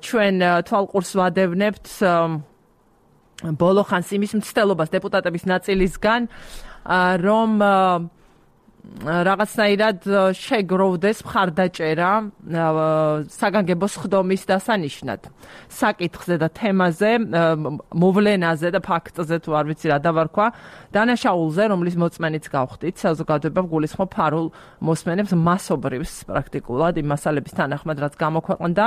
ჩვენ თვალყურს ვადევნებთ ბოლო ხანს იმის მცდელობას დეპუტატების ნაწილისგან, რომ რაღაცნაირად შეგროვდეს მხარდაჭერა საგანგებო სხდომის დასანიშნად. საკითხზე და თემაზე, მოვლენაზე და ფაქტზე თუ არ ვიცი რა დავარქვა, დანაშაულზე, რომლის მოწმენიც გავხდით, საზოგადოება გულისხმობ ფარულ მოსმენებს მასობრივს პრაქტიკულად იმ მასალების თანახმად, რაც გამოქვეყნდა.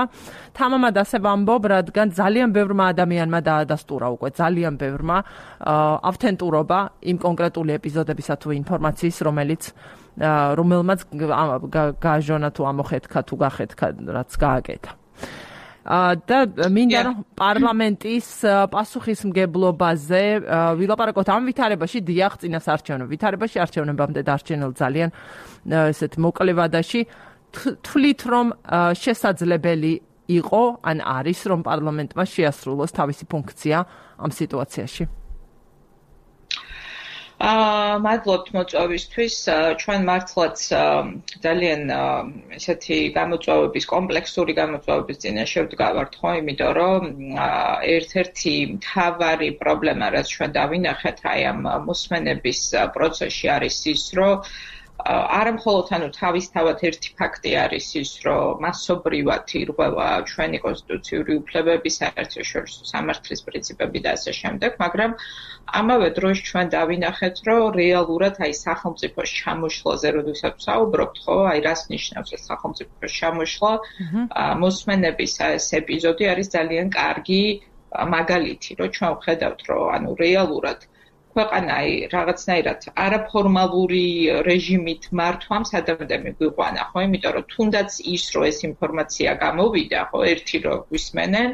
თამამად ასე ვამბობ, რადგან ძალიან ბევრმა ადამიანმა დაადასტურა უკვე, ძალიან ბევრმა ავთენტურობა იმ კონკრეტული ეპიზოდებისა თუ ინფორმაციის, რომელმაც გააჟონა თუ ამოხეთქა თუ გახეთქა, რაც გააკეთა. და მინდა რომ პარლამენტის პასუხისმგებლობაზე ვილაპარაკოთ ამ ვითარებაში, დიახ, წინასაარჩევნო ვითარებაში, არჩევნებამდე დარჩენილ ძალიან ესეთ მოკლე ვადაში, თვლით რომ შესაძლებელი იყო ან არის რომ პარლამენტმა შეასრულოს თავისი ფუნქცია ამ სიტუაციაში? მადლობთ მოწვევისთვის. ჩვენ მართლაც ძალიან ესეთი გამოწვევების, კომპლექსური გამოწვევების წინაშე ვდგავართ, ხო, იმიტომ რომ ერთ-ერთი მთავარი პრობლემა, რაც ჩვენ დავინახეთ აი ამ მოსმენების პროცესში არის ის, რომ არა მხოლოდ თავისთავად ერთი ფაქტი არის ის, რომ მასობრივად ირღვევა ჩვენი კონსტიტუციური უფლებები, საერთაშორისო სამართლის პრინციპები და ასე შემდეგ, მაგრამ ამავე დროს ჩვენ დავინახეთ, რომ რეალურად აი სახელმწიფოს ჩამოშლაზე, როდესაც ვსაუბრობთ, ხო, აი რას ნიშნავს ეს სახელმწიფოს ჩამოშლა, მოსმენების ეს ეპიზოდი არის ძალიან კარგი მაგალითი, რომ ჩვენ ვხედავთ, რომ რეალურად ქვეყანა რაღაცნაირად არაფორმალური რეჟიმით მართვამ სადამდე მიგვიყვანა, ხო, იმიტომ რომ თუნდაც ის, რომ ეს ინფორმაცია გამოვიდა, ხო, ერთი რომ გვისმენენ,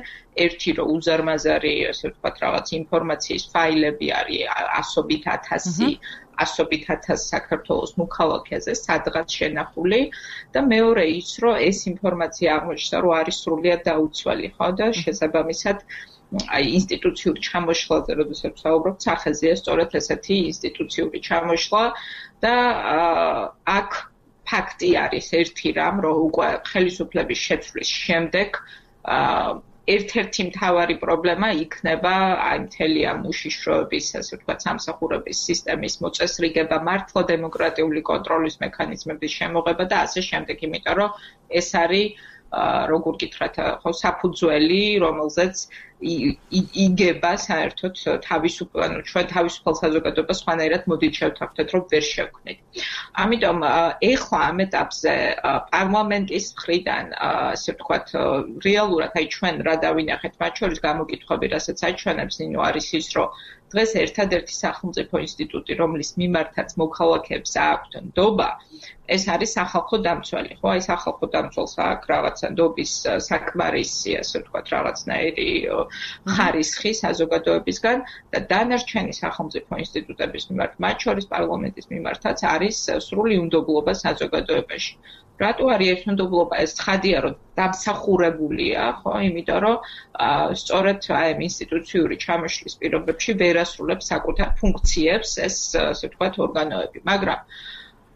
ერთი რომ უზარმაზარი, ასე ვთქვათ, რაღაც ინფორმაციის ფაილები არის ასობით ათას საქართველოს მოქალაქეზე სადღაც შენახული და მეორე ის, რომ ეს ინფორმაცია აღმოჩნდა, რომ არის სრულიად დაუცველი, ხო, და შესაბამისად აი ინსტიტუციური ჩამოშლაზე, როდესაც ვსაუბრობთ, სახეზეა სწორედ ესეთი ინსტიტუციური ჩამოშლა და აქ ფაქტი არის ერთი რამ, რომ უკვე ხელისუფლების შეცვლის შემდეგ ერთ-ერთი მთავარი პრობლემა იქნება აი მთელი ამ უშიშროების, ასე ვთქვათ, სამსახურების სისტემის მოწესრიგება, მართლა დემოკრატიული კონტროლის მექანიზმების შემოღება და ასე შემდეგ, იმიტომ რომ ეს არის როგორ გითხრათ, ხო, საფუძველი, რომელზეც იგება საერთოდ ჩვენ თავისუფალ საზოგადოებას სხვანაირად მოდით შევთავაზოთ, რომ ვერ შევქმნით. ამიტომ ეხლა ამ ეტაპზე პარლამენტის მხრიდან, ასე ვთქვათ, რეალურად აი ჩვენ რა დავინახეთ, მათ შორის გამოკითხვები, რასაც აჩვენებს ნინო, არის ის, რომ დღეს ერთადერთი სახელმწიფო ინსტიტუტი, რომლის მიმართაც მოქალაქეებს აქვთ ნდობა, ეს არის სახალხო დამცველი, ხო? აი სახალხო დამცველს აქვს რაღაცა ნდობის საკმარისი, ასე ვთქვათ, რაღაცნაირი ხარისხი საზოგადოებისგან და დანარჩენი სახელმწიფო ინსტიტუტების მიმართ, მათ შორის პარლამენტის მიმართაც არის სრული უნდობლობა საზოგადოებაში. რატო არის ეს უნდობლობა? ეს ცხადია, რომ დამსახურებულია, ხო, იმიტომ რომ სწორედ აი ამ ინსტიტუციური ჩამოშლის პირობებში ვერ ასრულებს საკუთარ ფუნქციებს ეს, ასე ვთქვათ, ორგანოები, მაგრამ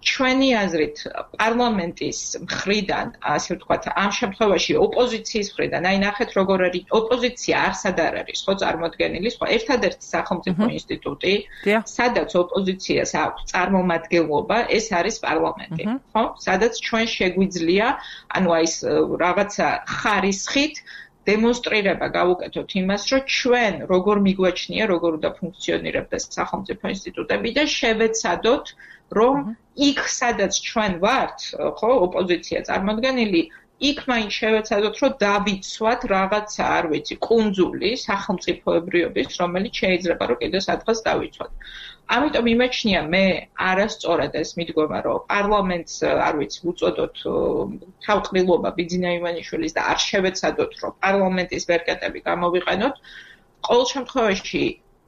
ჩვენი აზრით პარლამენტის მხრიდან, ასე ვთქვათ, ამ შემთხვევაში ოპოზიციის მხრიდან, აი ნახეთ როგორ არის ოპოზიცია არსად არ არის, ხო, წარმოდგენილი, ხო, ერთადერთი სახელმწიფო ინსტიტუტი, სადაც ოპოზიციას აქვს წარმომადგენლობა, ეს არის პარლამენტი, ხო? სადაც ჩვენ შეგვიძლია, ანუ აი ეს რაღაცა ხარისხით დემონსტრირება გავუკეთოთ იმას, რომ ჩვენ როგორ მიგვაჩნია, როგორ უნდა ფუნქციონირებდეს სახელმწიფო ინსტიტუტები და შევეცადოთ, რომ იქ სადაც ჩვენ ვართ, ხო, ოპოზიცია წარმოდგენილი, იქ მაინც შევეცადოთ, რომ დავიცვათ რაღაცა, არ ვიცი, კუნძული სახელმწიფოებრიობის, რომელიც შეიძლება რომ კიდევ სადღაც დავიცვათ. ამიტომ იმეჩნია მე არასწორად ეს მიდგომა, რომ პარლამენტს, არ ვიცი, უწოდოთ თავყრილობა ბიძინა ივანიშვილის და არ შევეცადოთ, რომ პარლამენტის ვერკეტები გამოვიყენოთ. ყოველ შემთხვევაში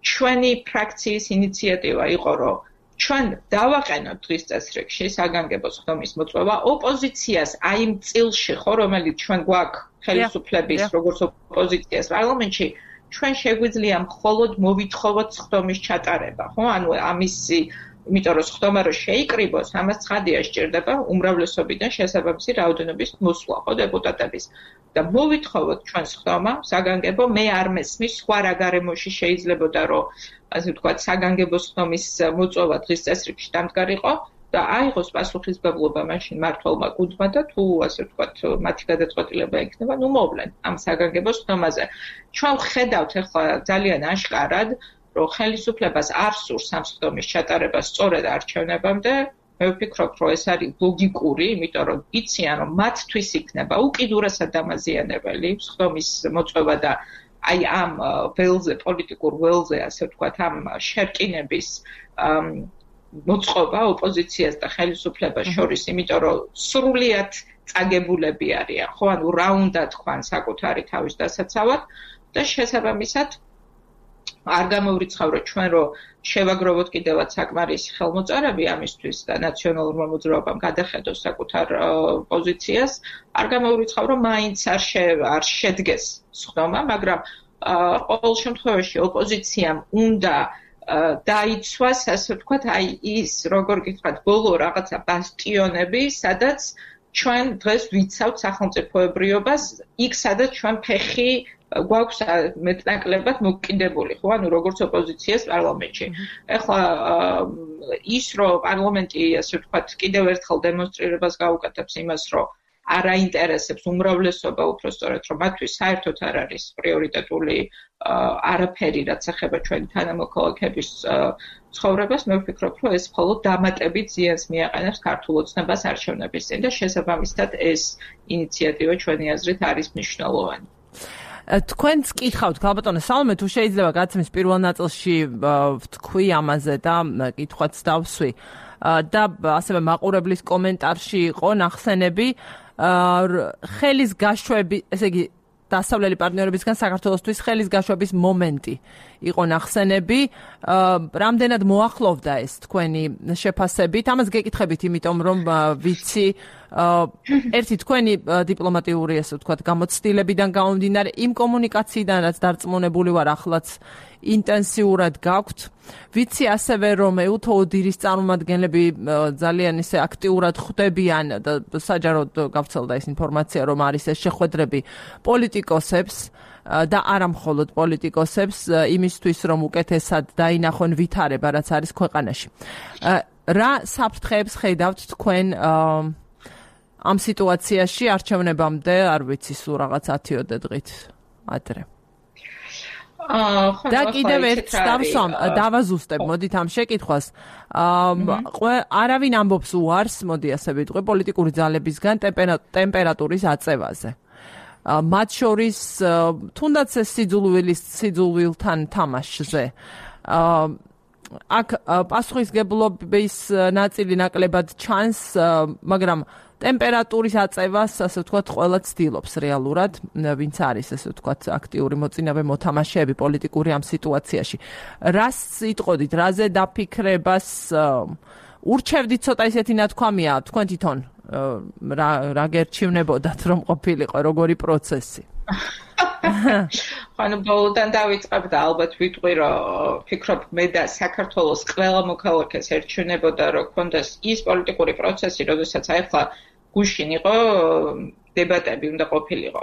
ჩვენი ფრაქციის ინიციატივა იყო, რომ ჩვენ დავაყენოთ დღის წესრიგში საგანგებო სხდომის მოწვევა ოპოზიციას აი იმ წილში, ხო, რომელიც ჩვენ გვაქვს ხელისუფლების როგორც ოპოზიციას პარლამენტში, ჩვენ შეგვიძლია მხოლოდ მოვითხოვოთ სხდომის ჩატარება, ხო? ანუ ამისი, იმიტომ რომ სხდომა რო შეიკრიბოს, ამას ცხადია სჭირდება უმრავლესობიდან შესაბამისი რაოდენობის მოსვლა, ხო, დეპუტატების. და მოვითხოვოთ ჩვენ სხდომა საგანგებო, მე არ მესმის სხვა რა გარემოში შეიძლებოდა რომ ასე ვთქვათ, საგანგებო სხდომის მოწვევა დღის წესრიგში დამდგარიყო და აიღოს პასუხისმგებლობა მაშინ მმართველმა გუნდმა და თუ ასე ვთქვათ, მათი გადაწყვეტილება იქნება, ნუ მოვლენ ამ საგანგებო სხდომაზე. ჩვენ ვხედავთ ახლა ძალიან აშკარად, რომ ხელისუფლებას არ სურს ამ სხდომის ჩატარება სწორედ არჩევნებამდე. მე ვფიქრობ, რომ ეს არის ლოგიკური, იმიტომ რომ იციან, რომ მათთვის იქნება უკიდურესად დამაზიანებელი სხდომის მოწვევა და აი ამ ველზე, პოლიტიკურ ველზე, ასე ვთქვათ, ამ შერკინების მოწყობა ოპოზიციას და ხელისუფლებას შორის, იმიტომ რომ სრულიად წაგებულები არიან, ხო, ანუ რა უნდა თქვან საკუთარი თავის დასაცავად და შესაბამისად არ გამოვრიცხავრო ჩვენ რომ შევაგროვოთ კიდევაც საკმარისი ხელმოწერები ამისთვის და ნაციონალურმა მოძრაობამ გადახედოს საკუთარ პოზიციას, არ გამოვრიცხავრო მაინც არ შედგეს სხდომა, მაგრამ ყოველ შემთხვევაში ოპოზიციამ უნდა დაიცვას, ასე ვთქვათ, აი ის, როგორ გითხრათ, ბოლო რაღაცა ბასტიონები, სადაც ჩვენ დღეს ვიცავთ სახელმწიფოებრიობას, იქ სადაც ჩვენ ფეხი გვაქვს მეტნაკლებად მოკიდებული, ხო, ანუ როგორც ოპოზიციას პარლამენტში. ეხლა ის რომ პარლამენტი, ასე ვთქვათ, კიდევ ერთხელ დემონსტრირებას გაუკეთებს იმას, რომ არ აინტერესებს უმრავლესობა უпростоრად, რომ მათთვის საერთოდ არ არის პრიორიტეტული არაფერი, რაც ეხება ჩვენი თანამოქალაქეების ცხოვრებას, მე ვფიქრობ, რომ ეს მხოლოდ დამატებით ზიანს მიაყენებს ქართულ ოცნებას არჩევნების წინ და შესაბამისად ეს ინიციატივა ჩვენი აზრით არის მნიშვნელოვანი. თქვენც კითხავთ, ქალბატონო სალომე, თუ შეიძლება გაცემის პირველ ნაწილში ვთქვი ამაზე და კითხვაც დავსვი. და ასევე მაყურებლის კომენტარში იყო ნახსენები ხელის გაშვები, ესე იგი დასავლელი პარტნიორებისგან საქართველოსთვის ხელის გაშვების მომენტი იყო ნახსენები. რამდენად მოახლოვდა ეს თქვენი შეფასებით? ამას გეკითხებით, იმიტომ რომ ვიცი ერთი თქვენი დიპლომატიური, ასე ვთქვათ, გამოცდილებიდან გამომდინარე, იმ კომუნიკაციიდან, რაც დარწმუნებული ვარ, ახლაც ინტენსიურად გაქვთ. ვიცი ასევე, რომ ეუთო ოდირის წარმომადგენლები ძალიან ისე აქტიურად ხვდებიან და საჯაროდ გავრცელდა ეს ინფორმაცია, რომ არის ეს შეხვედრები პოლიტიკოსებს და არა მხოლოდ პოლიტიკოსებს იმისთვის, რომ უკეთესად დაინახონ ვითარება, რაც არის ქვეყანაში. რა საფრთხეებს ხედავთ თქვენ ამ სიტუაციაში არჩევნებამდე, არ ვიცი, სულ რაღაც 10-ოდე დღით ადრე. და კიდევ ერთ დავაზუსტებ, მოდით ამ შეკითხვას. არავინ ამბობს უარს, მოდი ასე ვიტყვი, პოლიტიკური ძალებისგან ტემპერატურის აწევაზე. მათ შორის თუნდაც ეს სიძულვილთან თამაშზე. აქ პასუხისგებლობის ნაწილი ნაკლებად ჩანს, მაგრამ ტემპერატურის აწევას, ასე ვთქვათ, ყველა ცდილობს რეალურად, ვინც არის, ასე ვთქვათ, აქტიური მოწინავე მოთამაშეები პოლიტიკური ამ სიტუაციაში. რას იტყოდით, რაზე დაფიქრებას ურჩევდით ცოტა ისეთი ნათქვამია, თქვენ თვითონ რა გერჩივნებოდათ, რომ ყოფილიყო როგორი პროცესი? ანუ ბოლოდან დავიწყებ და ალბათ ვიტყვი, რომ ფიქრობ მე და საქართველოს ყველა მოქალაქეს ერჩივნებოდა, რომ კონდეს ის პოლიტიკური პროცესი, როდესაც ახლა გუშინ იყო დებატები უნდა ყოფილიყო,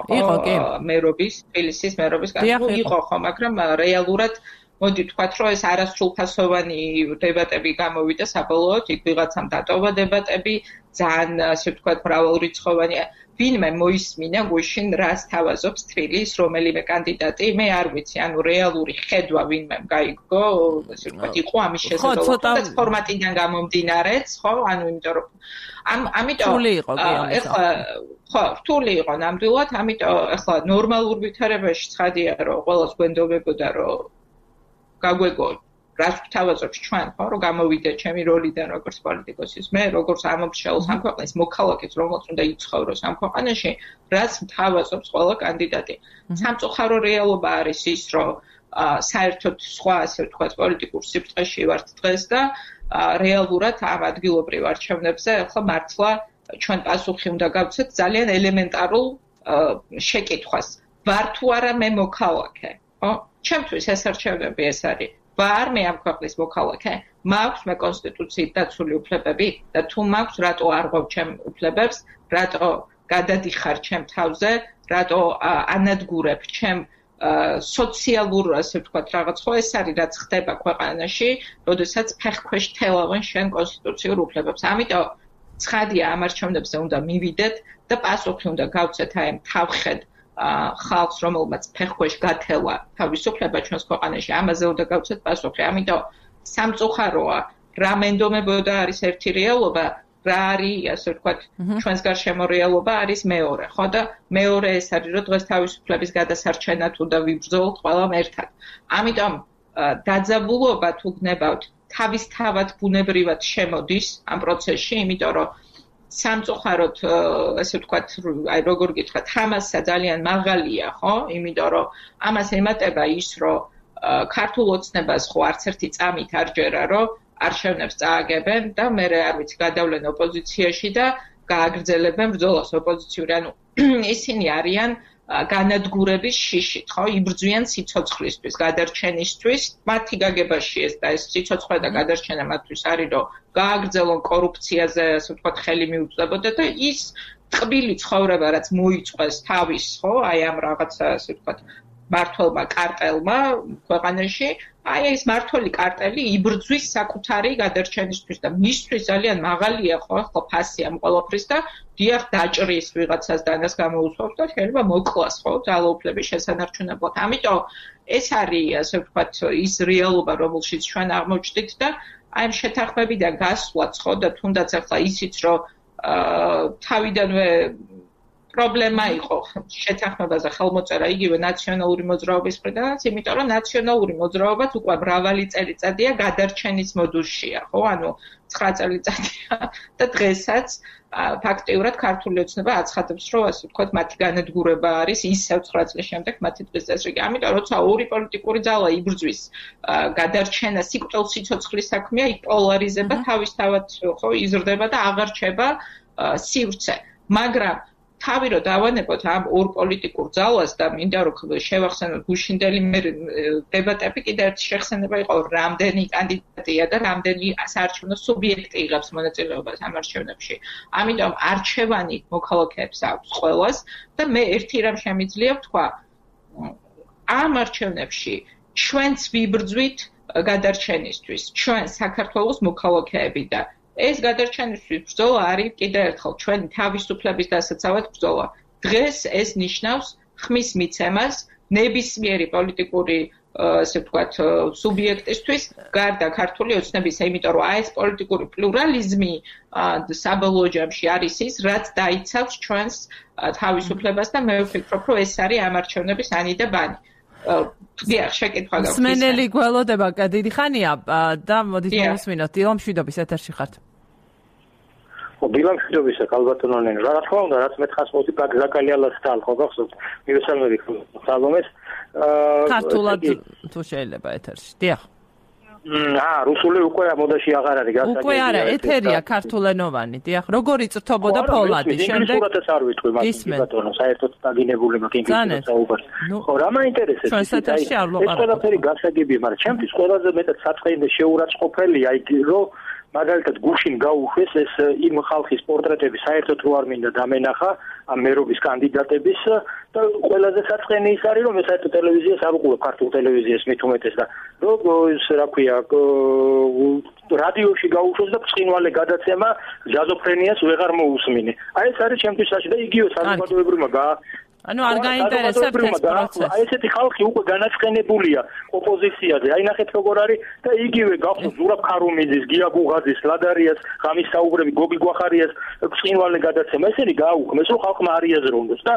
მერობის, თბილისის მერობის განხილვა იყო ხო, მაგრამ რეალურად მოდი ვთქვათ, რომ ეს არასრულფასოვანი დებატები გამოვიდა საბოლოოდ, იქ ვიღაცამ დატოვა დებატები, ძალიან ასე ვთქვათ, მრავალრიცხოვანი ვინმე მოისმინა გუშინ რას თავაზობს თბილის რომელიმე კანდიდატი, მე არ ვიცი, ანუ რეალური ხედვა ვინმე გაიგო, ასე ვთქვათ, იყო ამის შესაძლებლობა ფორმატიდან გამომდინარეც, ხო, ანუ იმიტომ რომ ამიტომ ეხლა ხო, რთული იყო ნამდვილად, ამიტომ ეხლა ნორმალურ ვითარებაში ცხადია, რომ ყველას გვენდობებოდა, რომ გაგვეგო რაც თავაზობს ჩვენ, ხო, რომ გამოვიდე ჩემი როლიდან როგორც პოლიტიკოსის, მე როგორც ამომრჩევლს ამ ქვეყნის მოქალაქეს, რომელსაც უნდა იცხოვროს ამ ქვეყანაში, რაც თავაზობს ყველა კანდიდატი. სამწუხარო რეალობა არის ის, რომ საერთოდ სხვა, ასე ვთქვათ, პოლიტიკურ სიბრტყეში ვართ დღეს და რეალურად ამ ადგილობრივ არჩევნებზე ახლა მართლა ჩვენ პასუხი უნდა გავცეთ ძალიან ელემენტარულ შეკითხვას. ვარ თუ არა მე მოქალაქე, ხო? ჩემთვის ეს არჩევნები ეს არის. ვარ მე ამ ქვეყნის მოქალაქე, მაქვს მე კონსტიტუციით დაცული უფლებები და თუ მაქვს, რატო არ ღვევ ჩემ უფლებებს, რატო გადადიხარ ჩემ თავზე, რატო ანადგურებ ჩემ სოციალურ, ასე ვთქვათ, რაღაც ხო ეს არის რაც ხდება ქვეყანაში, როდესაც ფეხქვეშ თელავენ შენ კონსტიტუციურ უფლებებს. ამიტომ ცხადია ამ არჩევნებზე უნდა მივიდეთ და პასუხი უნდა გავცეთ აი ამ თავხედ ხალხს, რომელმაც ფეხქვეშ გათელა თავისუფლება ჩვენს ქვეყანაში, ამაზე უნდა გავცეთ პასუხი. ამიტომ სამწუხაროა, რა მენდომებოდა არის ერთი რეალობა, რა არის, ასე ვთქვათ, ჩვენს გარშემო რეალობა არის მეორე, ხო და მეორე ეს არის, რომ დღეს თავისუფლების გადასარჩენად უნდა ვიბრძოლოთ ყველამ ერთად. ამიტომ დაძაბულობა თუ გნებავთ, თავისთავად ბუნებრივად შემოდის ამ პროცესში, იმიტომ რომ სამწუხაროდ, ასე ვთქვათ, აი როგორ გითხრათ, თამასა ძალიან მაღალია, ხო? იმიტომ რომ ამას ემატება ის, რომ ქართულ ოცნებას ხო არც ერთი წამით არ ჯერა რომ არჩევნებს წააგებენ და მე არ ვიცი გადავლენ ოპოზიციაში და გააგრძელებენ ბრძოლას ოპოზიციური ანუ ისინი არიან განადგურების შიშით ხო იბრძვიან სიცოცხლისთვის გადარჩენისთვის მათი გაგებაში ეს და ეს სიცოცხლე და გადარჩენა მათთვის არის რომ გააგრძელონ კორუფციაზე ასე ვთქვათ ხელი მიუწვდებოდა და ის ტყბილი ცხოვრება რაც მოიწყვეს თავის ხო აი ამ რაღაცა ასე ვთქვათ მართლმა კარტელმა ქვეყანაში აი ეს მართლი კარტელი იბრძვის საკუთარი გადარჩენისთვის და მისთვის ძალიან მაღალია ხო ფასი ამ ყველაფრის და დიახ დაჭრის ვიღაცას დანას გამოუცხობს და შეიძლება მოკლას ხო ძალაუფლების შესანარჩუნებლად ამიტომ ეს არის ასე ვთქვათ ის რეალობა რომელშიც ჩვენ აღმოჩნდით და აი ამ შეთანხმებიდან გასვლაც ხო და თუნდაც ახლა ისიც რომ თავიდანვე პრობლემა იყო შეთანხმებაზე ხელმოწერა იგივე ნაციონალური მოძრაობის მხრიდანაც, იმიტომ რომ ნაციონალური მოძრაობაც უკვე მრავალი წელიწადია გადარჩენის მოდულშია, ხო? ანუ 9 წელიწადია და დღესაც ფაქტიურად ქართული ოცნება აცხადებს, რომ ასე ვთქვათ, მათი განადგურება არის ისევ 9 წლის შემდეგ მათი დღის წესრიგი. ამიტომ როცა ორი პოლიტიკური ძალა იბრძვის გადარჩენა სიკვდილ სიცოცხლის საქმეა, იქ პოლარიზება თავისთავად ხო იზრდება და აღარ რჩება სივრცე. მაგრამ თავი რომ დავანებოთ ამ ორ პოლიტიკურ ძალას და მინდა რომ შევახსენოთ გუშინდელი დებატები კიდევ ერთი შეხსენება იყო რამდენი კანდიდატია და რამდენი საარჩევნო სუბიექტი იღებს მონაწილეობას ამ არჩევნებში. ამიტომ არჩევანი მოქალაქეებს აქვს ყველას და მე ერთი რამ შემიძლია ვთქვა ამ არჩევნებში ჩვენც ვიბრძვით გადარჩენისთვის, ჩვენ საქართველოს მოქალაქეები და ეს გადარჩენისთვის ბრძოლა არის კიდევ ერთხელ ჩვენი თავისუფლების დასაცავად ბრძოლა. დღეს ეს ნიშნავს ხმის მიცემას ნებისმიერი პოლიტიკური ასე ვთქვათ სუბიექტისთვის გარდა ქართული ოცნებისა, იმიტომ რომ ეს პოლიტიკური პლურალიზმი საბოლოო ჯამში არის ის, რაც დაიცავს ჩვენს თავისუფლებას და მე ვფიქრობ, რომ ეს არის ამ არჩევნების ანი და ბანი. დიახ, შეკითხვა გაქვს. მსმენელი გველოდება დიდი ხანია და მოდით მოვისმინოთ. დილა მშვიდობის ეთერში ხართ. დილა მშვიდობისა, ქალბატონონენ. რა თქმა უნდა, რაც მე თხას მოდი გაგზაკალიალას და ხო გახსოვთ. მივესალმები სალომეს. ქართულად თუ შეიძლება ეთერში. დიახ. რუსული უკვე მოდაში აღარ არის გასაგებია. უკვე არა, ეთერია ქართულენოვანი. დიახ, როგორი წრთობოდა ფოლადი შემდეგ. სურათაც არ ვიტყვი მას ბატონო, საერთოდ დაგინებული მაგინგის საუბარი. ხო, რა მაინტერესებს? ჩვენ ეთერში არ ვიყავ. ეს ყველაფერი გასაგებია, მაგრამ ჩემთვის ყველაზე მეტად საწყენდე შეურაცხყოფელია იქ რომ მაგალითად გუშინ გაუშვეს ეს იმ ხალხის პორტრეტები საერთოდ რო არ მინდა დამენახა ამ მერობის კანდიდატების და ყველაზე საწყენი ის არის რომ ეს საერთოდ ტელევიზიას არ უყურებ ქართულ ტელევიზიას მით უმეტეს და რომ ეს რა ქვია რადიოში გაუშვეს და ბრწყინვალე გადაცემა ჯაზოფრენიას ვეღარ მოусმინე. აი ეს არის ჩემთვის საშიში და იგივე საზოგადოებრივმა ანუ არ გაინტერესებს ეს პროცესი. აი ესეთი ხალხი უკვე განაცხენებულია ოპოზიციაზე. აი ნახეთ როგორ არის და იგივე გახსოვთ ზურაბ ქარუმიძის, გია გუღაძის, ლადარიას, ღამის საუბრები, გოგი გვახარიას ბრწყინვალე გადაცემა. ესენი გააუქმეს რომ ხალხმა არ იაზრონდეს და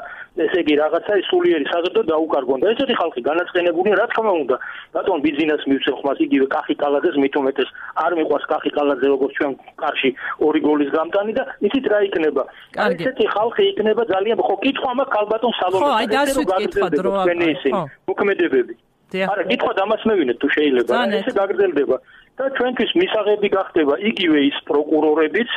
ესე იგი რაღაცა სულიერი საზრდო დაუკარგონ და ესეთი ხალხი განაცხენებულია რა თქმა უნდა. ბატონ ბიზნეს მივცემ ხმას იგივე კახი კალაძეს მით უმეტეს არ მიყვარს კახი კალაძე როგორც ჩვენ კარში 2 გოლის გამტანი და იცით რა იქნება. ესეთი ხალხი იქნება ძალიან ხო კითხვა მაქვს ქალბატონ ხო, აი დასვით კითხვა დრო ხო. მოქმედებები. არა, კითხვა დამასმევინეთ თუ შეიძლება. ესე გაგრძელდება და ჩვენთვის მისაღები გახდება იგივე ის პროკურორებიც,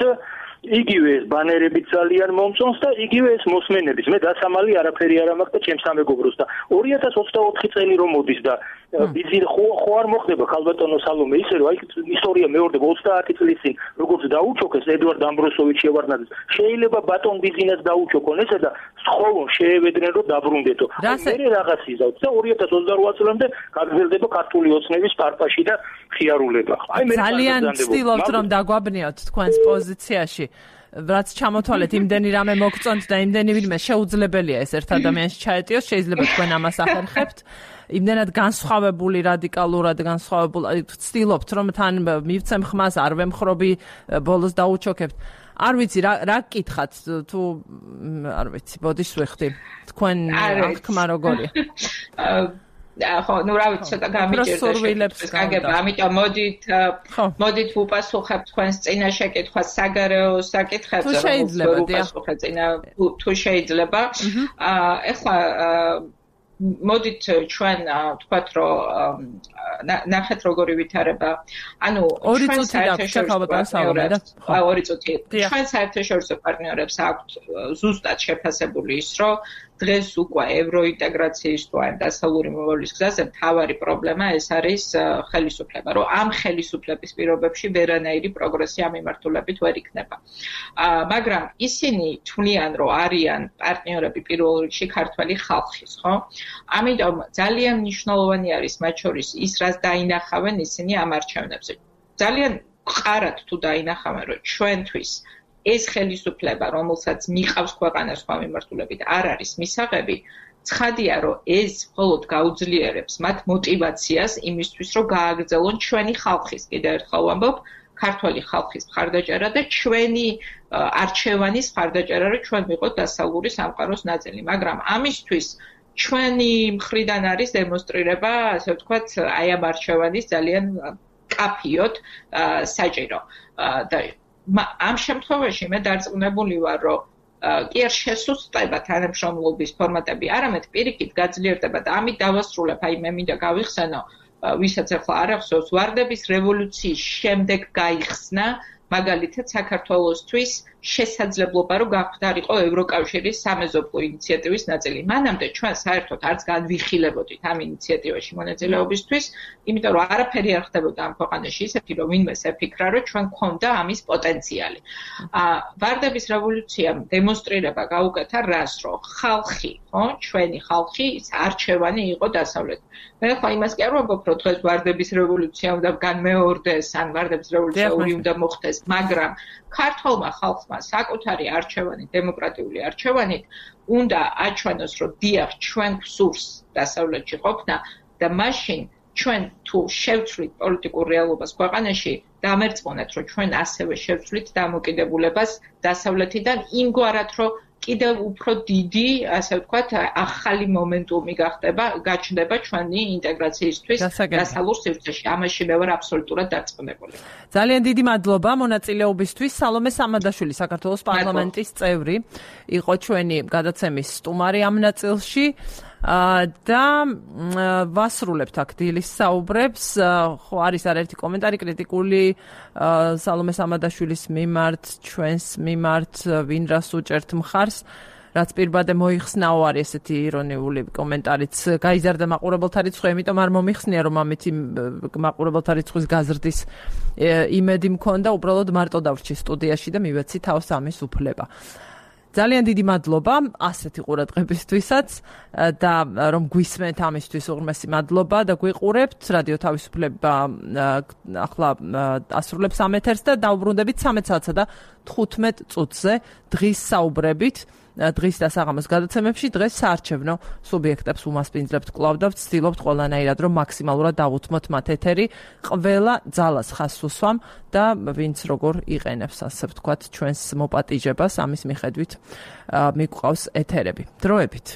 იგივე ეს ბანერებიც ძალიან მომწონს და იგივე ეს მოსმენების. მე დასამალი არაფერი არ მაქვს და ჩემს სამეგობროს და 2024 წელი რომ მოდის და ბიზნეს ხო არ მოხდება ქალბატონო სალომე ისე რომ აი ისტორია მეორდება 30 წლის წინ როგორც დაუჩოქეს ედვარდ ამბროსოვიჩი ევარნაძე შეიძლება ბატონ ბიზნეს დაუჩოქონ ესა და სხოვონ შეევედრენ რომ დაბრუნდეთო მე რაღაც იზავთ და 2028 წლამდე გაგრძელდება ქართული ოცნების პარტაში და ხიარულება აი მე ძალიან ვცდილობთ რომ დაგვაბნიოთ თქვენს პოზიციაში რაც ჩამოთვალეთ იმდენი რამე მოგწონთ და იმდენი ვინმე შეუძლებელია ეს ერთ ადამიანში ჩაეტიოს შეიძლება თქვენ ამას ახერხებთ იმდენად განსხვავებული რადიკალურად განსხვავებული ვცდილობთ რომ თან მივცემ ხმას არ ვემხრობი ბოლოს დაუჩოქებთ არ ვიცი რა გკითხათ თუ არ ვიცი ბოდიშს ვეხდი თქვენ აღქმა როგორია ხო, ნუ რა ვიცი, ცოტა გამიჭირდა გაგება, ამიტომ მოდით ვუპასუხებ თქვენს წინა შეკითხვას საგარეო საკითხებზე, თუ შეიძლება, თუ შეიძლება. ეხლა მოდით ჩვენ ვთქვათ, რომ ნახეთ როგორი ვითარება. ანუ ჩვენ საერთაშორისო პარტნიორებს აქვთ ზუსტად შეფასებული ის, რომ დღეს უკვე ევროინტეგრაციის თუ ან დასავლური მომავლის გზაზე მთავარი პრობლემა ეს არის ხელისუფლება, რომ ამ ხელისუფლების პირობებში ვერანაირი პროგრესი ამ მიმართულებით ვერ იქნება. მაგრამ ისინი თვლიან, რომ არიან პარტნიორები პირველ რიგში ქართველი ხალხის, ხო? ამიტომ ძალიან მნიშვნელოვანი არის მათ შორის ის, რაც დაინახავენ ისინი ამ არჩევნებზე. ძალიან მყარად თუ დაინახავენ, რომ ჩვენთვის ეს ხელისუფლება, რომელსაც მიყავს ქვეყანა სხვა მიმართულებით, არ არის მისაღები, ცხადია, რომ ეს მხოლოდ გაუძლიერებს მათ მოტივაციას იმისთვის, რომ გააგრძელონ ჩვენი ხალხის, კიდევ ერთხელ ვამბობ, ქართველი ხალხის მხარდაჭერა და ჩვენი არჩევანის მხარდაჭერა, რომ ჩვენ ვიყოთ დასავლური სამყაროს ნაწილი. მაგრამ ამისთვის ჩვენი მხრიდან არის დემონსტრირება, ასე ვთქვათ, აი ამ არჩევანის ძალიან კაფიოდ საჭირო. და ამ შემთხვევაში მე დარწმუნებული ვარ, რომ კი არ შესუსტება თანამშრომლობის ფორმატები, არამედ პირიქით გაძლიერდება და ამით დავასრულებ, აი მე მინდა გავიხსენო, ვისაც ახლა არ ახსოვს, ვარდების რევოლუციის შემდეგ გაიხსნა მაგალითად საქართველოსთვის შესაძლებლობა, რომ გახვდარიყო ევროკავშირის სამეზობლო ინიციატივის ნაწილი. მანამდე ჩვენ საერთოდ არც განვიხილებოდით ამ ინიციატივაში მონაწილეობისთვის, იმიტომ რომ არაფერი არ ხდებოდა ამ ქვეყანაში ისეთი, რომ ვინმეს ეფიქრა, რომ ჩვენ გვქონდა ამის პოტენციალი. ვარდების რევოლუციამ დემონსტრირება გაუკეთა რას, რომ ხალხი, ხო, ჩვენი ხალხი არჩევანი იყო დასავლეთ. მე ხო იმას კი არ ვამბობ, რომ დღეს ვარდების რევოლუცია უნდა განმეორდეს, ან ვარდების რევოლუცია ორი უნდა მოხდეს, მაგრამ ქართულმა ხალხმა საკუთარი არჩევანი, დემოკრატიული არჩევანით უნდა აჩვენოს, რომ დიახ, ჩვენ გვსურს დასავლეთში ყოფნა და მაშინ ჩვენ თუ შევცვლით პოლიტიკურ რეალობას ქვეყანაში, დამერწმუნეთ, რომ ჩვენ ასევე შევცვლით დამოკიდებულებას დასავლეთიდან იმგვარად, რომ კიდევ უფრო დიდი, ასე ვთქვათ, ახალი მომენტუმი გაჩნდება ჩვენი ინტეგრაციისთვის დასავლურ სივრცეში. ამაში მე ვარ აბსოლუტურად დარწმუნებული. ძალიან დიდი მადლობა მონაწილეობისთვის. სალომე სამადაშვილი, საქართველოს პარლამენტის წევრი, იყო ჩვენი გადაცემის სტუმარი ამ ნაწილში. და ვასრულებთ აქ დილის საუბრებს. ხო არის არაერთი კომენტარი კრიტიკული სალომე სამადაშვილის მიმართ, ჩვენს მიმართ, ვინ რას უჭერთ მხარს, რაც პირბადე მოიხსნაო, არის ესეთი ირონიული კომენტარიც. გაიზარდა მაყურებელთა რიცხვი, იმიტომ არ მომიხსნია, რომ ამითი მაყურებელთა რიცხვის გაზრდის იმედი მქონდა, უბრალოდ მარტო დავრჩი სტუდიაში და მივეცი თავს ამის უფლება. ძალიან დიდი მადლობა ასეთი ყურადღებისთვისაც და რომ გვისმენთ ამისთვის უღრმესი მადლობა და გვიყურებთ. რადიო თავისუფლება ახლა ასრულებს ამ ეთერს და დაუბრუნდებით 13:15 და 15 წუთზე დღის საუბრებით. დღის და საღამოს გადაცემებში დღეს საარჩევნო სუბიექტებს უმასპინძლებთ კვლავ და ვცდილობთ ყველანაირად რომ მაქსიმალურად დავუთმოთ მათ ეთერი. ყველა ძალას ხაზს უსვამ და ვინც როგორ იყენებს, ასე ვთქვათ, ჩვენს მოპატიჟებას, ამის მიხედვით მიგვყავს ეთერები. დროებით.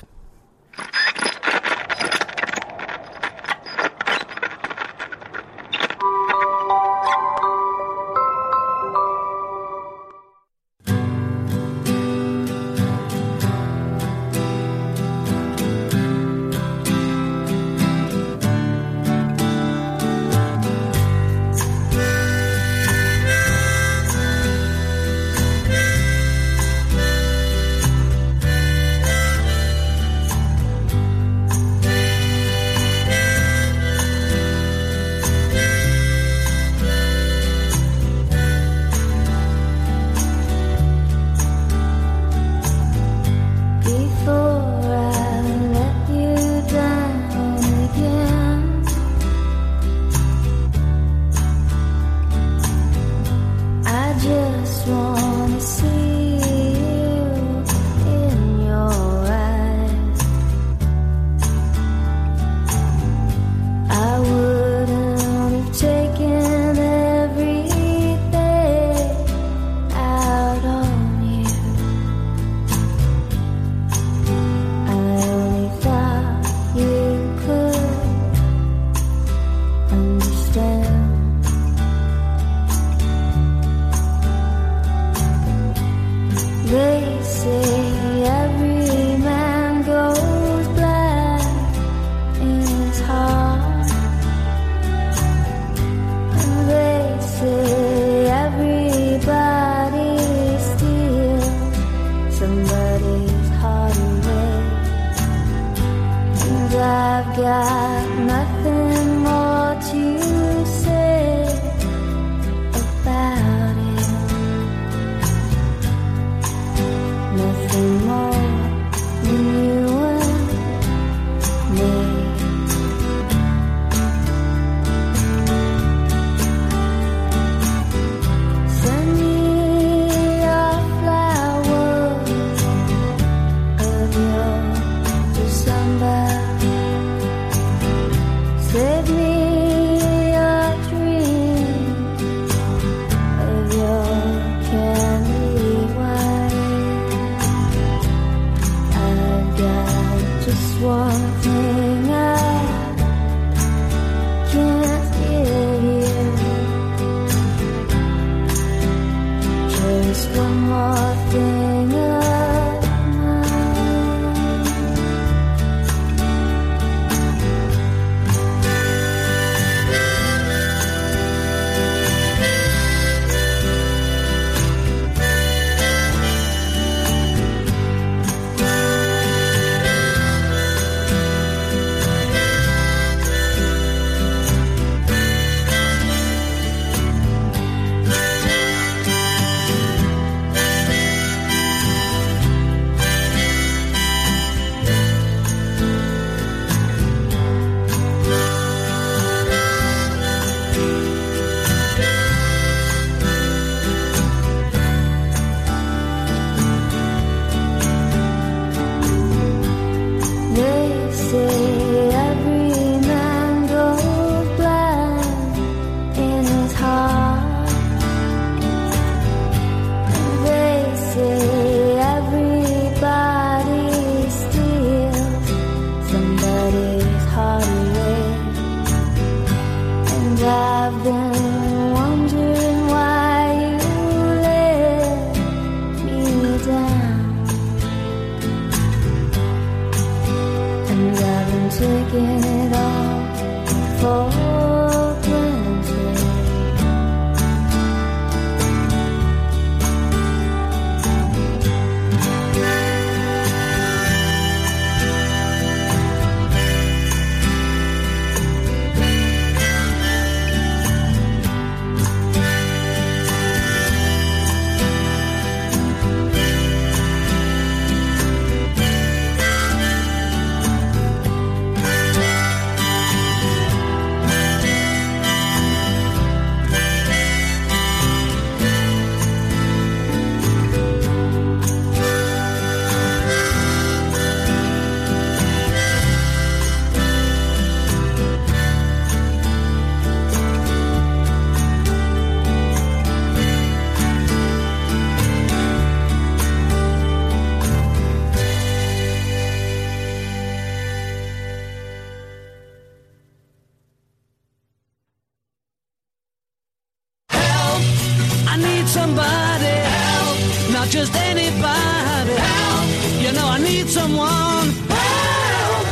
Somebody help, not just anybody help. You know I need someone help.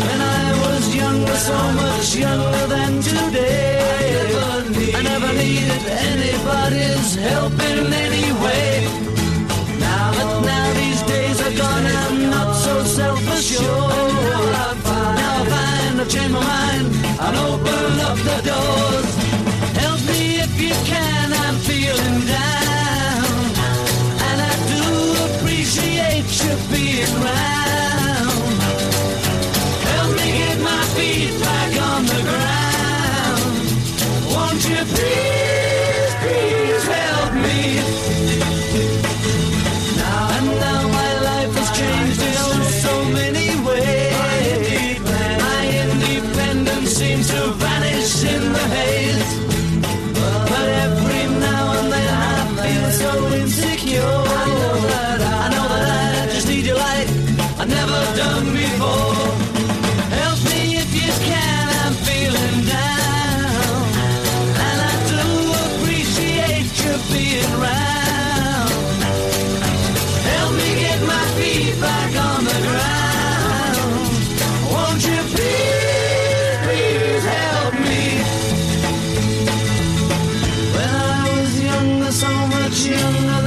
When I was younger, so much younger than today, I never needed anybody's help in any way. Now these days are gone, I'm not so self-assured. Now I find I've changed my mind and open up the doors. Help me if you can, I'm feeling down, and I do appreciate you being round. Help me get my feet back on the ground. Won't you please, please help me? Now my life has changed in so many ways. My independence seems to vanish in the haze. But every now and then I feel so insecure. I know that I just need you like I've never done before. Help me if you can, I'm feeling down, and I do appreciate you being round. Help me get my feet back on the ground. Won't you please, please help me? So much younger